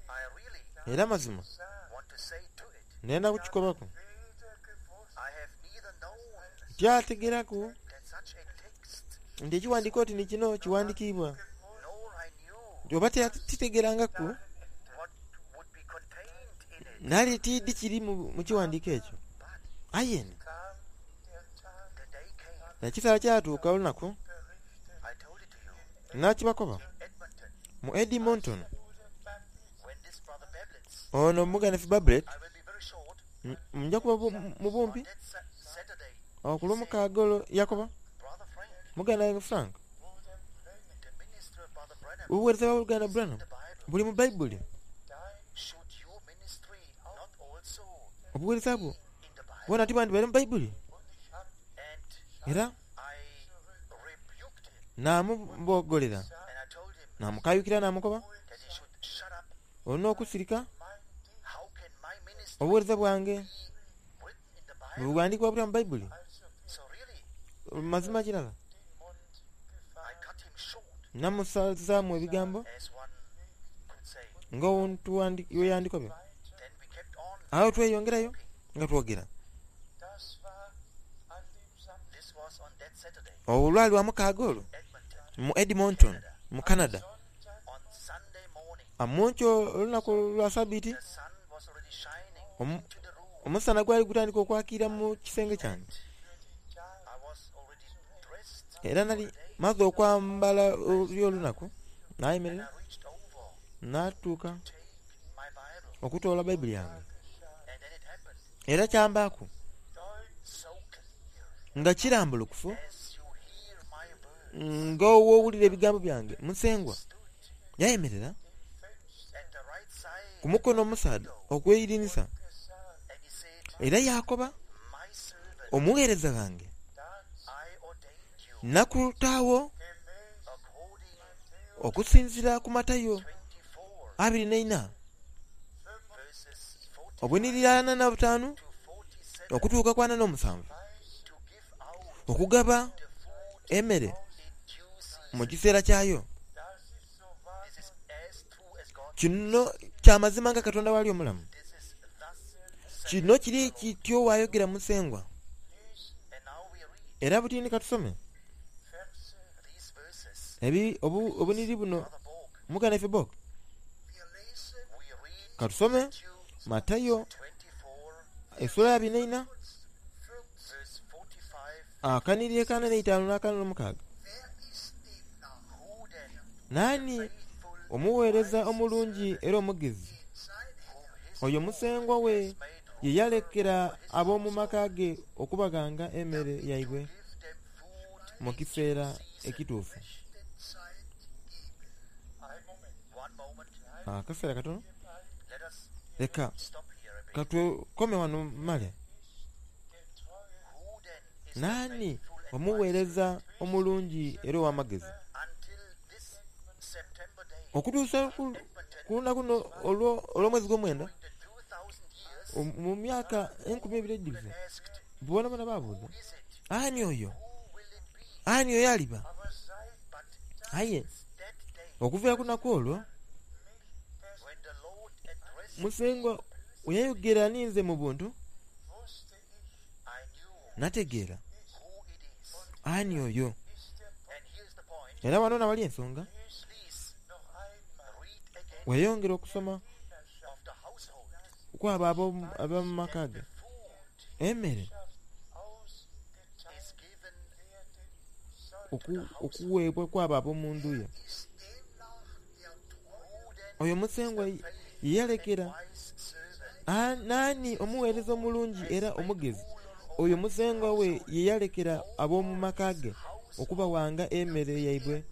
[SPEAKER 2] I really
[SPEAKER 1] era mazima
[SPEAKER 3] sagen,
[SPEAKER 2] want to say to it,
[SPEAKER 1] nenda kukikobako
[SPEAKER 3] weder gewusst
[SPEAKER 2] I have neither known
[SPEAKER 1] tyategeraku
[SPEAKER 2] that such a text,
[SPEAKER 1] nti ekiwandiiko ti ni kino kiwandikiibwa
[SPEAKER 2] nor I knew
[SPEAKER 1] nti oba tya- titegerangaku
[SPEAKER 2] what would be contained in it.
[SPEAKER 1] nali tiddi kiri mu mu kiwandiiko ekyo
[SPEAKER 2] But
[SPEAKER 1] ayeni
[SPEAKER 3] kam der Tag
[SPEAKER 2] the day came,
[SPEAKER 1] ekiseera kyatuuka olunaku
[SPEAKER 3] berichtet
[SPEAKER 2] I told it to you
[SPEAKER 1] nakibakoba
[SPEAKER 2] in Edmonton,
[SPEAKER 1] mu Edmonton
[SPEAKER 3] Bruder Babbitt
[SPEAKER 2] when this brother Bablitz,
[SPEAKER 1] ono muganefu Bablet
[SPEAKER 2] I will be very short,
[SPEAKER 1] nja kuba bu- mu
[SPEAKER 2] on
[SPEAKER 1] bumpi
[SPEAKER 2] that sa- Saturday,
[SPEAKER 1] ku lwomukaaga olwo yakoba
[SPEAKER 2] Brother Frank,
[SPEAKER 1] muganda wange Frank
[SPEAKER 3] Bruder Brennan
[SPEAKER 2] the ministry of Brother Branham
[SPEAKER 1] obuweereza bwa Uganda
[SPEAKER 2] is in
[SPEAKER 1] Branham
[SPEAKER 2] the Bible.
[SPEAKER 1] buli mu Bayibuli
[SPEAKER 3] dein
[SPEAKER 2] Should your ministry not also
[SPEAKER 1] obuweereza bwo
[SPEAKER 2] be in the Bible?
[SPEAKER 1] bwona tibandibale mu Bayibuli
[SPEAKER 3] und ich hab
[SPEAKER 2] And
[SPEAKER 1] era
[SPEAKER 2] I rebuked him
[SPEAKER 1] naamubogolera
[SPEAKER 2] and I told him
[SPEAKER 1] naamukayukira naamukoba
[SPEAKER 2] that he should shut up.
[SPEAKER 1] olina okusirika
[SPEAKER 3] mein Dienst
[SPEAKER 2] How can my ministry
[SPEAKER 1] obuweereza bwange
[SPEAKER 2] be
[SPEAKER 1] Bwe buwandiikibwa butya mu Bayibuli?
[SPEAKER 2] So really,
[SPEAKER 1] Mazima kirala
[SPEAKER 3] den Mund
[SPEAKER 2] I
[SPEAKER 3] gefallen.
[SPEAKER 2] cut him short,
[SPEAKER 1] namusazaamu ebigambo
[SPEAKER 2] as one could say.
[SPEAKER 1] nga omuntu wandi- weyandikobye.
[SPEAKER 2] Then we kept on.
[SPEAKER 1] Awo tweyongerayo nga twogera.
[SPEAKER 3] Das war an dem Samstag.
[SPEAKER 2] This was on that Saturday,
[SPEAKER 1] Olwo lwali lwa mukaaga olwo
[SPEAKER 2] Edmonton.
[SPEAKER 1] mu Edmonton mu Canada.
[SPEAKER 2] On Sunday morning,
[SPEAKER 1] Amunkyo olunaku lwa sabiti
[SPEAKER 2] the sun was already shining
[SPEAKER 1] Omu-
[SPEAKER 2] into the room.
[SPEAKER 1] omusana gwali gutandika okwakira mu kisenge kyange.
[SPEAKER 2] I was already dressed
[SPEAKER 1] Era nali maze okwambala oli olunaku
[SPEAKER 2] and
[SPEAKER 1] nayimirira
[SPEAKER 2] I reached over
[SPEAKER 1] natuuka
[SPEAKER 2] to take my Bible.
[SPEAKER 1] okutoola Bayibuli yange.
[SPEAKER 2] And then it happened
[SPEAKER 1] Era kyambaaku
[SPEAKER 2] so clear
[SPEAKER 1] nga kirambulukufu
[SPEAKER 2] as you hear my words.
[SPEAKER 1] nga owoowulira ebigambo byange. Musengwa
[SPEAKER 2] Stood
[SPEAKER 1] yayimirira
[SPEAKER 2] at the right side
[SPEAKER 1] ku mukono omusaadha okweyirinisa
[SPEAKER 2] and he said,
[SPEAKER 1] era yakoba,
[SPEAKER 2] My servant,
[SPEAKER 1] omuweereza wange
[SPEAKER 2] I ordained you
[SPEAKER 1] nakutaawo
[SPEAKER 2] according
[SPEAKER 1] okusinziira ku Matayo
[SPEAKER 2] twenty-four
[SPEAKER 1] abiri n'eina
[SPEAKER 2] verses
[SPEAKER 1] obunirira ana na butaano
[SPEAKER 2] forty to forty-seven
[SPEAKER 1] okutuuka ku ana n'omusanvu
[SPEAKER 2] to give out
[SPEAKER 1] okugaba
[SPEAKER 2] the food
[SPEAKER 1] emmere
[SPEAKER 2] in due season.
[SPEAKER 1] mu kiseera kyayo.
[SPEAKER 3] Das ist so wahr.
[SPEAKER 2] This is as true as God.
[SPEAKER 1] Kino kyamazima nga Katonda wali omulamu.
[SPEAKER 2] This is thus saith
[SPEAKER 1] Kino kiri kityo waayogera Musengwa.
[SPEAKER 2] And now we read
[SPEAKER 1] Era butini katusome
[SPEAKER 3] Verse
[SPEAKER 2] these verses.
[SPEAKER 1] ebi obu- obuniri buno
[SPEAKER 2] Brother Borg,
[SPEAKER 1] muganda ife Bok.
[SPEAKER 3] Wir lesen
[SPEAKER 2] we read
[SPEAKER 1] Katusome
[SPEAKER 2] Matthew
[SPEAKER 1] Matayo
[SPEAKER 2] twenty-four
[SPEAKER 1] essula ya abiri n'eina
[SPEAKER 2] verse forty-five.
[SPEAKER 1] akaniri ekaana n'eitaano n'akaana n'omukaaga.
[SPEAKER 3] Wer ist demnach
[SPEAKER 2] Who then
[SPEAKER 1] Naani
[SPEAKER 2] faithful
[SPEAKER 1] omuweereza omulungi era omugezi
[SPEAKER 3] den sein
[SPEAKER 2] whom his
[SPEAKER 1] oyo musengwa we
[SPEAKER 2] made
[SPEAKER 1] ye yalekera ab'omu maka ge okubaganga emmere yaibwe
[SPEAKER 2] give them food
[SPEAKER 1] mu kiseera ekituufu.
[SPEAKER 3] rechten Zeit gebe. Ein Moment.
[SPEAKER 2] One moment.
[SPEAKER 1] Akaseera katono
[SPEAKER 2] Let us
[SPEAKER 1] leka
[SPEAKER 2] stop here a bit.
[SPEAKER 1] katukome wano male.
[SPEAKER 3] Der treue
[SPEAKER 2] Who then is the
[SPEAKER 1] Naani
[SPEAKER 2] faithful and wise
[SPEAKER 1] omuweereza omulungi era ow'amagezi
[SPEAKER 2] until this September day,
[SPEAKER 1] okutuusa ku
[SPEAKER 2] Edmonton,
[SPEAKER 1] ku lunaku luno olwo- olw'omwezi gw'omwenda
[SPEAKER 2] during the two thousand years,
[SPEAKER 1] omu- mu myaka enkumi ebiri ejjuze
[SPEAKER 2] asked,
[SPEAKER 1] bona bona baabuuza,
[SPEAKER 2] who is it?
[SPEAKER 1] ani oyo?
[SPEAKER 2] Who will it be?
[SPEAKER 1] Ani oyo aliba?
[SPEAKER 3] aber seit
[SPEAKER 2] But
[SPEAKER 1] Aye
[SPEAKER 2] that day,
[SPEAKER 1] okuviira ku lunaku olwo
[SPEAKER 2] when the Lord addressed
[SPEAKER 1] Musengwa we yayogera ninze mu buntu
[SPEAKER 3] wusste ich,
[SPEAKER 2] I knew
[SPEAKER 1] nategeera
[SPEAKER 2] who it is.
[SPEAKER 1] ani oyo.
[SPEAKER 3] ist der Punkt.
[SPEAKER 2] And here's the point.
[SPEAKER 1] Era wano nawali ensonga.
[SPEAKER 2] Please
[SPEAKER 3] Noch einmal
[SPEAKER 2] read again
[SPEAKER 1] Weeyongera okusoma
[SPEAKER 2] of the household.
[SPEAKER 1] kwabo ab'omu- ab'omu maka ge
[SPEAKER 2] The food
[SPEAKER 1] emmere
[SPEAKER 3] ausgeteilt
[SPEAKER 2] is given
[SPEAKER 3] werden soll.
[SPEAKER 1] oku- okuweebwa kwabo ab'omu ndu ye.
[SPEAKER 3] Ist demnach der treue
[SPEAKER 2] who then
[SPEAKER 1] Oyo Musengwa ye yalekera
[SPEAKER 2] wise servant
[SPEAKER 1] A- naani omuweereza omulungi era omugezi oyo Musengwa we ye yalekera ab'omu maka ge okubawanga emmere yaibwe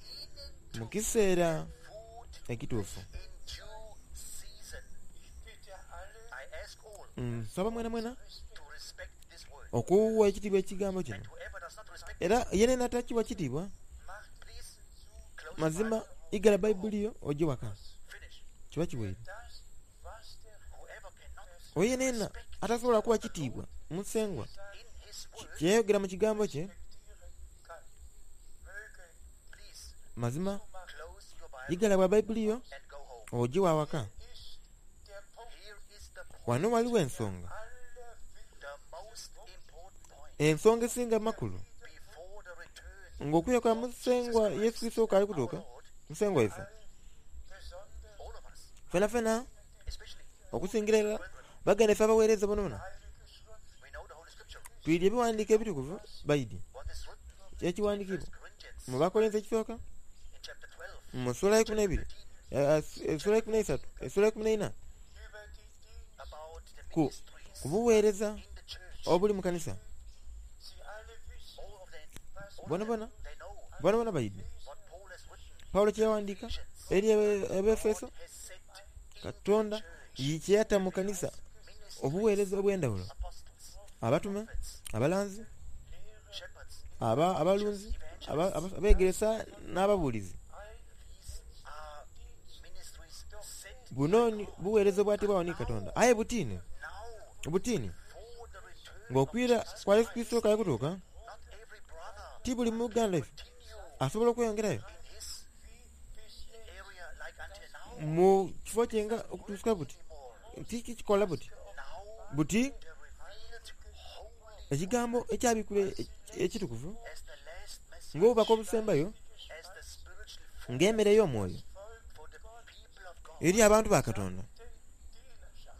[SPEAKER 1] mu kiseera
[SPEAKER 2] food
[SPEAKER 1] ekituufu.
[SPEAKER 2] in due season.
[SPEAKER 3] Ich bitte alle,
[SPEAKER 2] I ask all
[SPEAKER 1] Nsaba mwena mwena
[SPEAKER 2] to respect this word.
[SPEAKER 1] okuwa ekitiibwa ekigambo kino.
[SPEAKER 2] And whoever does not respect
[SPEAKER 1] Era yenena atakiwa kitiibwa
[SPEAKER 2] please close the
[SPEAKER 1] mazima
[SPEAKER 2] Bible.
[SPEAKER 1] igala Bayibuli yo ojje waka
[SPEAKER 2] Finish.
[SPEAKER 1] kiba kiweire.
[SPEAKER 3] das, was der
[SPEAKER 2] Whoever cannot
[SPEAKER 1] Oyo yenena atasobola kuwa kitiibwa Musengwa
[SPEAKER 2] in his word,
[SPEAKER 1] kyeyayogera mu kigambo kye
[SPEAKER 3] respektieren kann. Möge
[SPEAKER 2] please
[SPEAKER 1] mazima
[SPEAKER 2] close your Bible
[SPEAKER 1] igala bwa Bayibuli yo
[SPEAKER 2] and go home.
[SPEAKER 1] ojje wawaka.
[SPEAKER 3] ist der Punkt
[SPEAKER 2] Here is the point,
[SPEAKER 1] Wano waliwo ensonga
[SPEAKER 3] aller
[SPEAKER 2] the most important point
[SPEAKER 1] ensonga esinga makulu
[SPEAKER 2] before the return
[SPEAKER 1] ng'okuya kwa Musengwa Yesu Kristo kaali kutuuka
[SPEAKER 2] our Lord,
[SPEAKER 1] Musengwa ife
[SPEAKER 3] besonders
[SPEAKER 2] all of us,
[SPEAKER 1] fena fena
[SPEAKER 2] especially
[SPEAKER 1] okusingira irala baganda ife abaweereza bonabona
[SPEAKER 3] Heilige Schrift
[SPEAKER 2] we know the Holy Scripture.
[SPEAKER 1] twidye ebiwandiiko ebitukuvu bayidi
[SPEAKER 2] What is written
[SPEAKER 1] kyekiwandiikibwa
[SPEAKER 2] First Corinthians
[SPEAKER 1] mu Bakolinso ekisooka
[SPEAKER 2] in chapter twelve,
[SPEAKER 1] mu ssuula y'ekumi n'ebiri eh, essuula y'ekumi n'esatu essuula y'ekumi n'eina
[SPEAKER 3] über die Dienste,
[SPEAKER 2] about the
[SPEAKER 1] ku
[SPEAKER 2] ministries
[SPEAKER 1] ku buweereza
[SPEAKER 2] in the church.
[SPEAKER 1] obuli mu kanisa.
[SPEAKER 3] sie alle wissen,
[SPEAKER 2] All of them,
[SPEAKER 3] was
[SPEAKER 2] all
[SPEAKER 1] Bona
[SPEAKER 2] of them,
[SPEAKER 1] bona
[SPEAKER 2] they know
[SPEAKER 1] bona bona bayidi
[SPEAKER 2] what Paul has written.
[SPEAKER 1] Pawulo kye yawandiika eri Abe- Abeefeso
[SPEAKER 2] God has set in
[SPEAKER 1] Katonda
[SPEAKER 2] the church
[SPEAKER 1] kye yatta mu kanisa
[SPEAKER 2] ministries,
[SPEAKER 1] obuweereza obw'endawulo
[SPEAKER 2] apostles,
[SPEAKER 1] abatume
[SPEAKER 2] prophets,
[SPEAKER 1] abalanzi
[SPEAKER 2] shepherds.
[SPEAKER 1] aba abalunzi aba- aba- abeegeresa n'ababuulizi.
[SPEAKER 2] These are ministries set
[SPEAKER 1] Buno ni buweereza obwatebwawo ni Katonda aye butiini
[SPEAKER 2] now
[SPEAKER 1] butiini
[SPEAKER 2] for the return
[SPEAKER 1] Ng'okwira kwa Yesu Kristo kali kutuuka,
[SPEAKER 2] not every brother
[SPEAKER 1] ti buli muganda ife
[SPEAKER 2] continue
[SPEAKER 1] asobola okweyongerayo
[SPEAKER 2] in his area like until now
[SPEAKER 1] mu kifo kye nga okutuusa buti
[SPEAKER 2] anymore.
[SPEAKER 1] tiki kikola buti
[SPEAKER 2] Now
[SPEAKER 1] buti
[SPEAKER 2] the revealed holy
[SPEAKER 1] ekigambo ekyabikula ekitukuvu
[SPEAKER 2] as the last message,
[SPEAKER 1] ng'obubaka obusembayo
[SPEAKER 2] as the spiritual food
[SPEAKER 1] ng'emmere y'omwoyo
[SPEAKER 2] for the people of God
[SPEAKER 1] eri abantu ba Katonda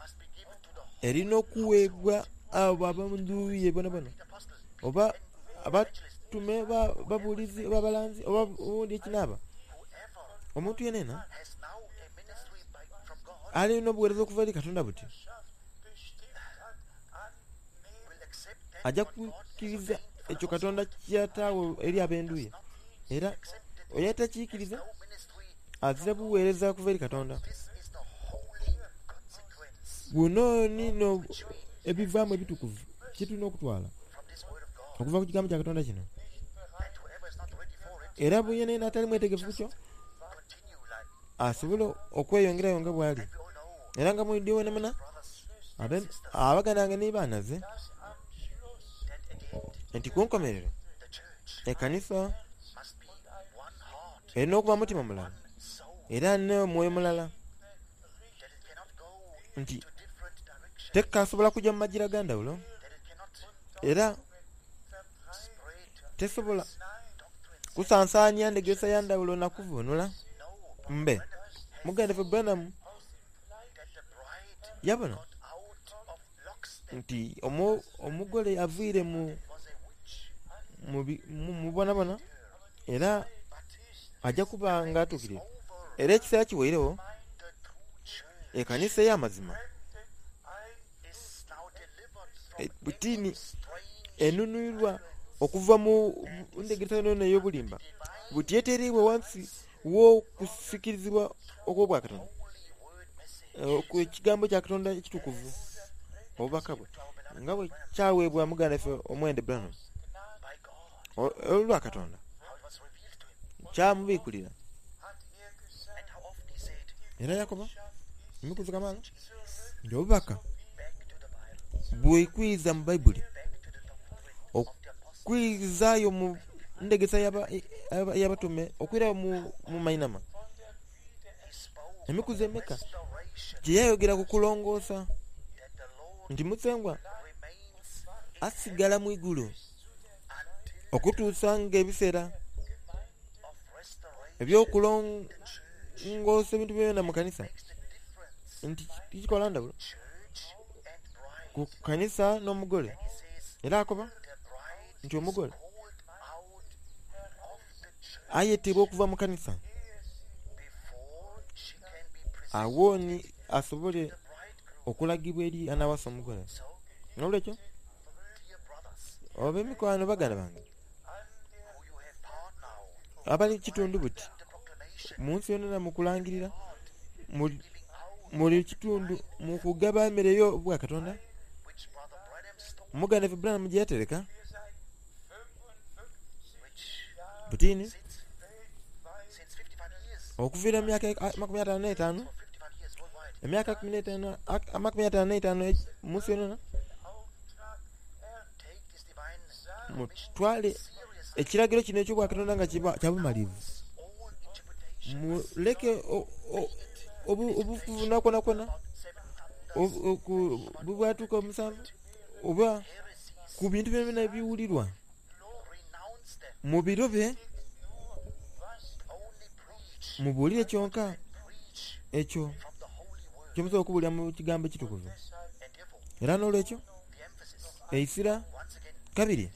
[SPEAKER 2] must be given to the
[SPEAKER 1] erina okuweebwa abo ab'omu ye bonabona
[SPEAKER 2] the apostle,
[SPEAKER 1] oba abatume ba- babuulizi oba abalanzi oba obundi ekinaaba
[SPEAKER 2] whoever
[SPEAKER 1] omuntu yenena
[SPEAKER 2] has now a ministry by, from God
[SPEAKER 1] alina obuweereza okuva eri Katonda buti
[SPEAKER 2] will accept that
[SPEAKER 1] ajja
[SPEAKER 2] what God has
[SPEAKER 1] kukkiriza
[SPEAKER 2] ordained for
[SPEAKER 1] ekyo
[SPEAKER 2] us.
[SPEAKER 1] Katonda kyataawo eri ab'endu ye era
[SPEAKER 2] Accept that
[SPEAKER 1] oyo atakiikiriza
[SPEAKER 2] no ministry.
[SPEAKER 1] azira buweereza kuva eri Katonda.
[SPEAKER 2] This is the holy consequence
[SPEAKER 1] Buno nino ebivaamu ebitukuvu kyetulina okutwala
[SPEAKER 2] from this word of God.
[SPEAKER 1] okuva ku kigambo kya Katonda kino.
[SPEAKER 2] And whoever is not ready for it,
[SPEAKER 1] Era bwe yenena atali mwetegefu kyo
[SPEAKER 2] continue like
[SPEAKER 1] asobola okweyongerayo nga bw'ali.
[SPEAKER 2] we all know,
[SPEAKER 1] Era nga mwidde wenamuna
[SPEAKER 2] brothers,
[SPEAKER 1] abe- abaganda bange ne baanaze
[SPEAKER 2] that at the end
[SPEAKER 1] nti ku nkomerero
[SPEAKER 2] the church
[SPEAKER 1] ekkanisa
[SPEAKER 2] must be one heart,
[SPEAKER 1] erina okuba mutima mulala
[SPEAKER 2] soul,
[SPEAKER 1] era n'omwoyo mulala
[SPEAKER 2] that it cannot go
[SPEAKER 1] nti
[SPEAKER 2] to different directions,
[SPEAKER 1] tekasobola kujja mu magira ga ndawulo
[SPEAKER 2] that it cannot
[SPEAKER 1] era
[SPEAKER 2] spread
[SPEAKER 1] tesobola
[SPEAKER 2] doctrines.
[SPEAKER 1] kusansaanya ndegesa ya ndawulo nakuvuunula
[SPEAKER 2] No,
[SPEAKER 1] mbe muganda ffe Branham
[SPEAKER 2] that the bride
[SPEAKER 1] yabona
[SPEAKER 2] got out of lockstep
[SPEAKER 1] nti omu- omugole aviire mu
[SPEAKER 2] was a witch,
[SPEAKER 1] mu bi- mu- mu bonabona era ajja kuba nga atuukirira
[SPEAKER 2] over
[SPEAKER 1] era ekiseera kiweirewo
[SPEAKER 2] the true church
[SPEAKER 1] ekkanisa ey'amazima
[SPEAKER 2] is now delivered from
[SPEAKER 1] e- butini
[SPEAKER 2] strange
[SPEAKER 1] enunulirwa okuva mu ndegesa yonayona ey'obulimba buti yeteereibwe wansi w'okusikirizibwa okw'obwakatonda
[SPEAKER 2] holy word message
[SPEAKER 1] eh, ku ekigambo kya Katonda ekitukuvu obubaka bwe nga bwe kyaweebwa muganda ffe omwende Branham
[SPEAKER 2] by God,
[SPEAKER 1] o- olwa Katonda
[SPEAKER 2] how it was revealed to him,
[SPEAKER 1] kyamubiikulira
[SPEAKER 2] and how often he said,
[SPEAKER 1] era yakoba emikuzi kamaala nti obubaka
[SPEAKER 2] back to the Bible,
[SPEAKER 1] bwekwiza mu Bayibuli
[SPEAKER 2] back to the doctrine of the apostles,
[SPEAKER 1] okwizaayo mu ndegesa y'aba- y'aba- y'abatume okwirayo mu, mu mainama
[SPEAKER 2] he spoke
[SPEAKER 1] emikuzi emeka
[SPEAKER 2] restoration
[SPEAKER 1] gye yayogera ku kulongoosa
[SPEAKER 2] that the Lord
[SPEAKER 1] nti musengwa
[SPEAKER 2] remains in
[SPEAKER 1] asigala mu igulu
[SPEAKER 2] until
[SPEAKER 1] okutuusa ng'ebiseera
[SPEAKER 2] of restoration
[SPEAKER 1] ebyokulongoosa ebintu byonna mu kanisa
[SPEAKER 2] makes the difference
[SPEAKER 1] nti kikola ndawulo
[SPEAKER 2] church and bride.
[SPEAKER 1] ku kanisa n'omugole
[SPEAKER 2] He says
[SPEAKER 1] era akoba
[SPEAKER 2] the bride
[SPEAKER 1] nti omugole
[SPEAKER 2] called out of the church
[SPEAKER 1] ayetebwa okuva mu kanisa
[SPEAKER 2] before she can be presented
[SPEAKER 1] awo ni asobole
[SPEAKER 2] to the bridegroom.
[SPEAKER 1] okulagibwa eri anaawasa omugole
[SPEAKER 2] So,
[SPEAKER 1] nolwekyo
[SPEAKER 2] dear brothers,
[SPEAKER 1] ab'emikwano baganda bange
[SPEAKER 2] who you have part now
[SPEAKER 1] abali kitundu buti
[SPEAKER 2] in the proclamation,
[SPEAKER 1] mu nsi yonna mu kulangirira mu-
[SPEAKER 2] giving out
[SPEAKER 1] muli kitundu mu kugaba emmere y'obwakatonda
[SPEAKER 2] which Brother Branham stole,
[SPEAKER 1] muganda ffe Branham gye yatereka
[SPEAKER 2] which
[SPEAKER 1] butini
[SPEAKER 2] since since fifty-five years,
[SPEAKER 1] okuviira mu myaka e- makumi ataano n'etaano
[SPEAKER 2] for fifty-five years worldwide,
[SPEAKER 1] emyaka kumi n'etaano ak- amakumi ataano n'etaano e- mu nsi yonna
[SPEAKER 2] take this divine
[SPEAKER 1] mutwale
[SPEAKER 2] seriously.
[SPEAKER 1] ekiragiro kino eky'obwakatonda nga kiba- kya bumalivu
[SPEAKER 2] All interpretations
[SPEAKER 1] muleke o- o- obu- obuvuna kwonakwo
[SPEAKER 2] about seven thunders,
[SPEAKER 1] obu- oku- bubwatuka omusanvu oba
[SPEAKER 2] heresies,
[SPEAKER 1] ku bintu byonna ebiwulirwa
[SPEAKER 2] renounce them.
[SPEAKER 1] mu biro bye
[SPEAKER 2] Only preach,
[SPEAKER 1] mubuulire kyonka
[SPEAKER 2] preach
[SPEAKER 1] ekyo
[SPEAKER 2] from the holy word.
[SPEAKER 1] kyomusobola okubuulira mu kigambo ekitukuvu
[SPEAKER 2] And therefore,
[SPEAKER 1] era n'olwekyo
[SPEAKER 2] the emphasis,
[SPEAKER 1] eisira
[SPEAKER 2] once again,
[SPEAKER 1] kabiri
[SPEAKER 2] dear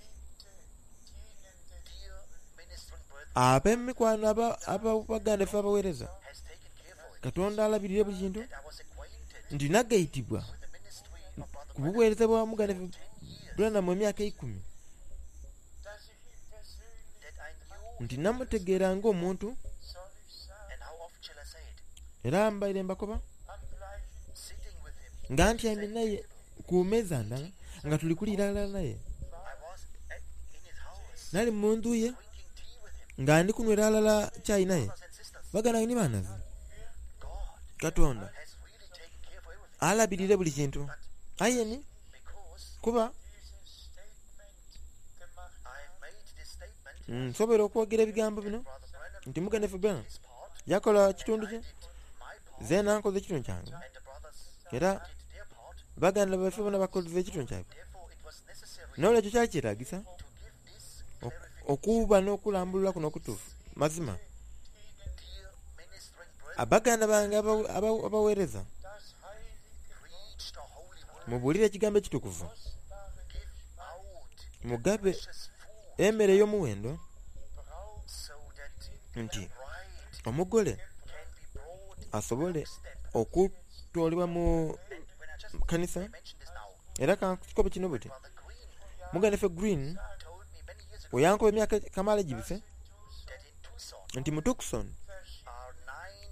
[SPEAKER 2] ministering brethren,
[SPEAKER 1] ab'emikwano aba- aba- baganda ffe abaweereza
[SPEAKER 2] has taken care for it.
[SPEAKER 1] Katonda alabirire buli kintu
[SPEAKER 2] That I was acquainted
[SPEAKER 1] nti nagayitibwa
[SPEAKER 2] with the ministry of Brother
[SPEAKER 1] ku
[SPEAKER 2] Branham
[SPEAKER 1] buweereza bwa muganda ffe
[SPEAKER 2] ten years,
[SPEAKER 1] Branham emyaka ekumi
[SPEAKER 2] that I knew,
[SPEAKER 1] nti namutegeera ng'omuntu
[SPEAKER 2] and how often shall I say it,
[SPEAKER 1] era mbaire mbakoba
[SPEAKER 2] sitting with him,
[SPEAKER 1] nga ntyamye naye ku mmeeza ndala nga tuli kuliira alala naye
[SPEAKER 2] I was at, in his house,
[SPEAKER 1] nali mu nju ye
[SPEAKER 2] drinking tea with him,
[SPEAKER 1] nga ndi kunywera alala kyayi naye
[SPEAKER 2] brothers and sisters.
[SPEAKER 1] baganda ni baanaze
[SPEAKER 2] God
[SPEAKER 1] Katonda
[SPEAKER 2] has really taken care for everything
[SPEAKER 1] alabirire buli kintu aye ni
[SPEAKER 2] because
[SPEAKER 1] kuba Nsobola okwogera ebigambo bino
[SPEAKER 2] Brother Branham
[SPEAKER 1] nti muganda waffe Branham
[SPEAKER 2] his part,
[SPEAKER 1] yakola kitundu kye
[SPEAKER 2] did my part,
[SPEAKER 1] zeena nkoze ekitundu kyange
[SPEAKER 2] and the brothers
[SPEAKER 1] era
[SPEAKER 2] did their part.
[SPEAKER 1] baganda baffe bona bakoze ekitundu kyabwe
[SPEAKER 2] Therefore, it was necessary
[SPEAKER 1] n'olwekyo kyali kyetaagisa
[SPEAKER 2] to give this
[SPEAKER 1] ok-
[SPEAKER 2] clarification.
[SPEAKER 1] okuba n'okulambulula kuno okutuufu mazima
[SPEAKER 2] Dear ministering brethren,
[SPEAKER 1] abaganda bange aba- aba- abaweereza
[SPEAKER 3] das heilige
[SPEAKER 2] preach the holy word,
[SPEAKER 1] mubuulire ekigambo ekitukuvu
[SPEAKER 2] give out
[SPEAKER 1] mugabe
[SPEAKER 2] precious food,
[SPEAKER 1] emmere ey'omuwendo
[SPEAKER 3] braucht
[SPEAKER 2] so that
[SPEAKER 1] nti
[SPEAKER 2] the bride
[SPEAKER 1] omugole
[SPEAKER 2] can be brought in
[SPEAKER 1] asobole
[SPEAKER 2] step.
[SPEAKER 1] okutwalibwa mu
[SPEAKER 2] And when I just
[SPEAKER 1] kanisa
[SPEAKER 2] mention this now,
[SPEAKER 1] era kankikobe kino buti
[SPEAKER 2] Brother Green
[SPEAKER 1] muganda ffe Green
[SPEAKER 2] told me many years ago
[SPEAKER 1] oyankoba emyaka kamaala egibise
[SPEAKER 2] that in Tucson
[SPEAKER 1] nti mu Tucson
[SPEAKER 2] are nine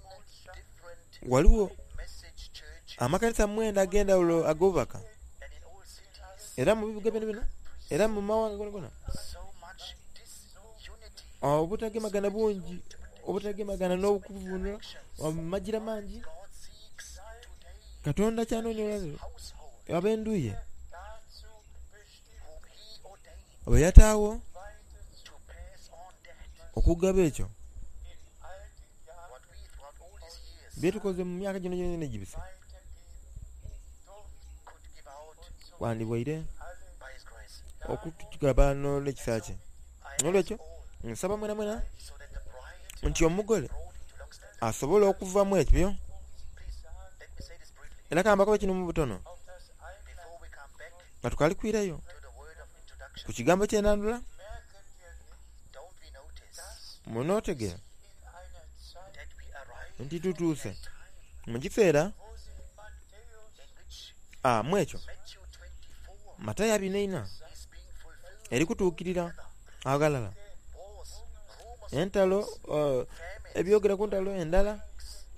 [SPEAKER 2] different
[SPEAKER 1] waliwo
[SPEAKER 2] message churches,
[SPEAKER 1] amakanisa mwenda ag'endawulo ag'obubaka
[SPEAKER 2] and in all cities
[SPEAKER 1] era mu bibuga byona byona era mu mawanga gona gona
[SPEAKER 2] so much disunity.
[SPEAKER 1] obutagemagana bungi obutagemagana n'okuvunula amagira mangi
[SPEAKER 2] God seeks today
[SPEAKER 1] Katonda kyanoonya olwaleero
[SPEAKER 2] household
[SPEAKER 1] ab'endu ye
[SPEAKER 3] dazu bestimmt,
[SPEAKER 2] whom he ordained
[SPEAKER 1] bwe yataawo
[SPEAKER 3] weiter
[SPEAKER 2] to pass on that
[SPEAKER 1] okugaba ekyo
[SPEAKER 3] in all den Jahren
[SPEAKER 2] what we throughout all these years
[SPEAKER 1] byetukoze mu myaka gino gyona egibise
[SPEAKER 3] weitergeben durften.
[SPEAKER 2] could give out
[SPEAKER 1] wandibwaire
[SPEAKER 3] Alle
[SPEAKER 2] by his grace.
[SPEAKER 1] okutugaba n'olwekisa kye
[SPEAKER 2] I
[SPEAKER 1] N'olwekyo
[SPEAKER 2] ask all
[SPEAKER 1] nsaba mwena mwena
[SPEAKER 2] so that the bride
[SPEAKER 1] nti omugole
[SPEAKER 2] brought into lockstep.
[SPEAKER 1] asobole okuvamu ekyo
[SPEAKER 2] Please let me say this briefly
[SPEAKER 1] era kambakobe kino mu butono
[SPEAKER 3] auf das
[SPEAKER 2] before we come back
[SPEAKER 1] nga tukalikwirayo
[SPEAKER 2] to the word of introduction.
[SPEAKER 1] ku kigambo ky'enandula
[SPEAKER 3] merken wir nicht,
[SPEAKER 2] Don't we notice
[SPEAKER 1] munootegera
[SPEAKER 3] in einer Zeit,
[SPEAKER 2] that we arrive
[SPEAKER 1] nti tutuuse
[SPEAKER 2] at a time
[SPEAKER 1] mu kiseera
[SPEAKER 3] wo sich Matthäus
[SPEAKER 2] in which
[SPEAKER 1] ah, mu ekyo
[SPEAKER 2] Matthew twenty-four
[SPEAKER 1] Matayo abiri n'eina
[SPEAKER 2] is being fulfilled?
[SPEAKER 1] eri kutuukirira agalala
[SPEAKER 2] Wars, rumors,
[SPEAKER 1] entalo uh,
[SPEAKER 2] famine,
[SPEAKER 1] ebyogera ku ntalo endala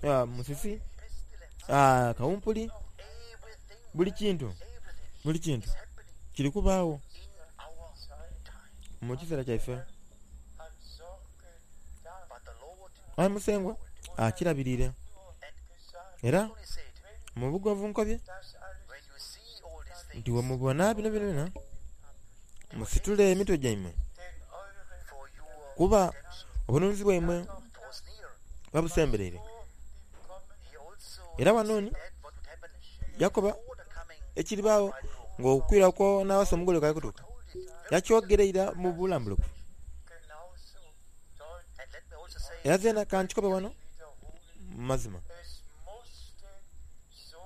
[SPEAKER 1] ah, musisi
[SPEAKER 2] pestilence,
[SPEAKER 1] ah, kawumpuli
[SPEAKER 2] everything,
[SPEAKER 1] buli kintu
[SPEAKER 2] everything
[SPEAKER 1] buli kintu
[SPEAKER 2] is happening
[SPEAKER 1] kiri kubaawo
[SPEAKER 2] in our time.
[SPEAKER 1] mu kiseera kyaife
[SPEAKER 3] hat Sorge da
[SPEAKER 2] But the Lord
[SPEAKER 1] ayi musengwa akirabirire
[SPEAKER 2] and
[SPEAKER 3] gesagt,
[SPEAKER 1] era
[SPEAKER 2] only said,
[SPEAKER 1] mu bugonvu nkobye
[SPEAKER 3] dass alles
[SPEAKER 2] when you see all these
[SPEAKER 1] nti
[SPEAKER 2] things,
[SPEAKER 1] wemubona bino byona byona musitule emitwe gyammwe
[SPEAKER 3] denn eure
[SPEAKER 2] for your
[SPEAKER 1] kuba
[SPEAKER 2] redemption
[SPEAKER 1] obununuzi bwammwe
[SPEAKER 2] draws near.
[SPEAKER 1] babusembereire
[SPEAKER 3] vor dem Kommen
[SPEAKER 2] He also
[SPEAKER 1] era wanooni
[SPEAKER 2] said what would happen
[SPEAKER 1] yakoba
[SPEAKER 2] before the coming
[SPEAKER 1] ekiribaawo ng'okwirako n'awasa omugole kali kutuuka
[SPEAKER 2] told it.
[SPEAKER 1] yakyogereira mu bulambulukufu
[SPEAKER 3] genauso deutlich
[SPEAKER 2] And let me also say,
[SPEAKER 1] era zeena kankikobe wano
[SPEAKER 3] wiederholen.
[SPEAKER 1] mu mazima
[SPEAKER 3] Es musste so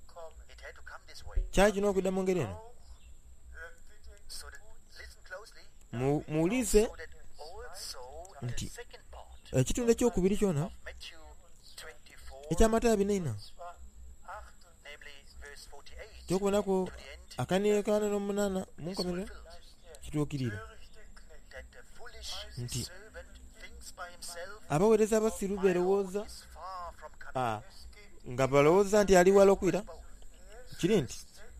[SPEAKER 3] kommen.
[SPEAKER 2] it had to come this way.
[SPEAKER 1] kyali kina okudda mu ngeri eno
[SPEAKER 3] Auch hört bitte
[SPEAKER 2] So that, listen closely,
[SPEAKER 1] Mu- muwulize
[SPEAKER 2] so that also the
[SPEAKER 1] Nti-
[SPEAKER 2] second part
[SPEAKER 1] ekitundu ekyokubiri kyona
[SPEAKER 2] of Matthew twenty-four,
[SPEAKER 1] ekyamatayo abiri n'eina
[SPEAKER 3] zwar achtund
[SPEAKER 2] namely verse forty-eight
[SPEAKER 1] kyokubonaku
[SPEAKER 2] to the end,
[SPEAKER 1] akaniekaana n'omunaana mu
[SPEAKER 2] is
[SPEAKER 1] nkomerero
[SPEAKER 2] fulfilled.
[SPEAKER 1] kituukirira
[SPEAKER 3] törichte Knecht
[SPEAKER 2] That the foolish
[SPEAKER 1] Nti-
[SPEAKER 2] servant thinks by himself,
[SPEAKER 1] abaweereza abasiru
[SPEAKER 2] my Lord
[SPEAKER 1] beerowooza
[SPEAKER 2] is far from coming.
[SPEAKER 1] ah,
[SPEAKER 3] Es gibt
[SPEAKER 1] nga balowooza nti ali wala okwira
[SPEAKER 2] Both.
[SPEAKER 1] kiri nti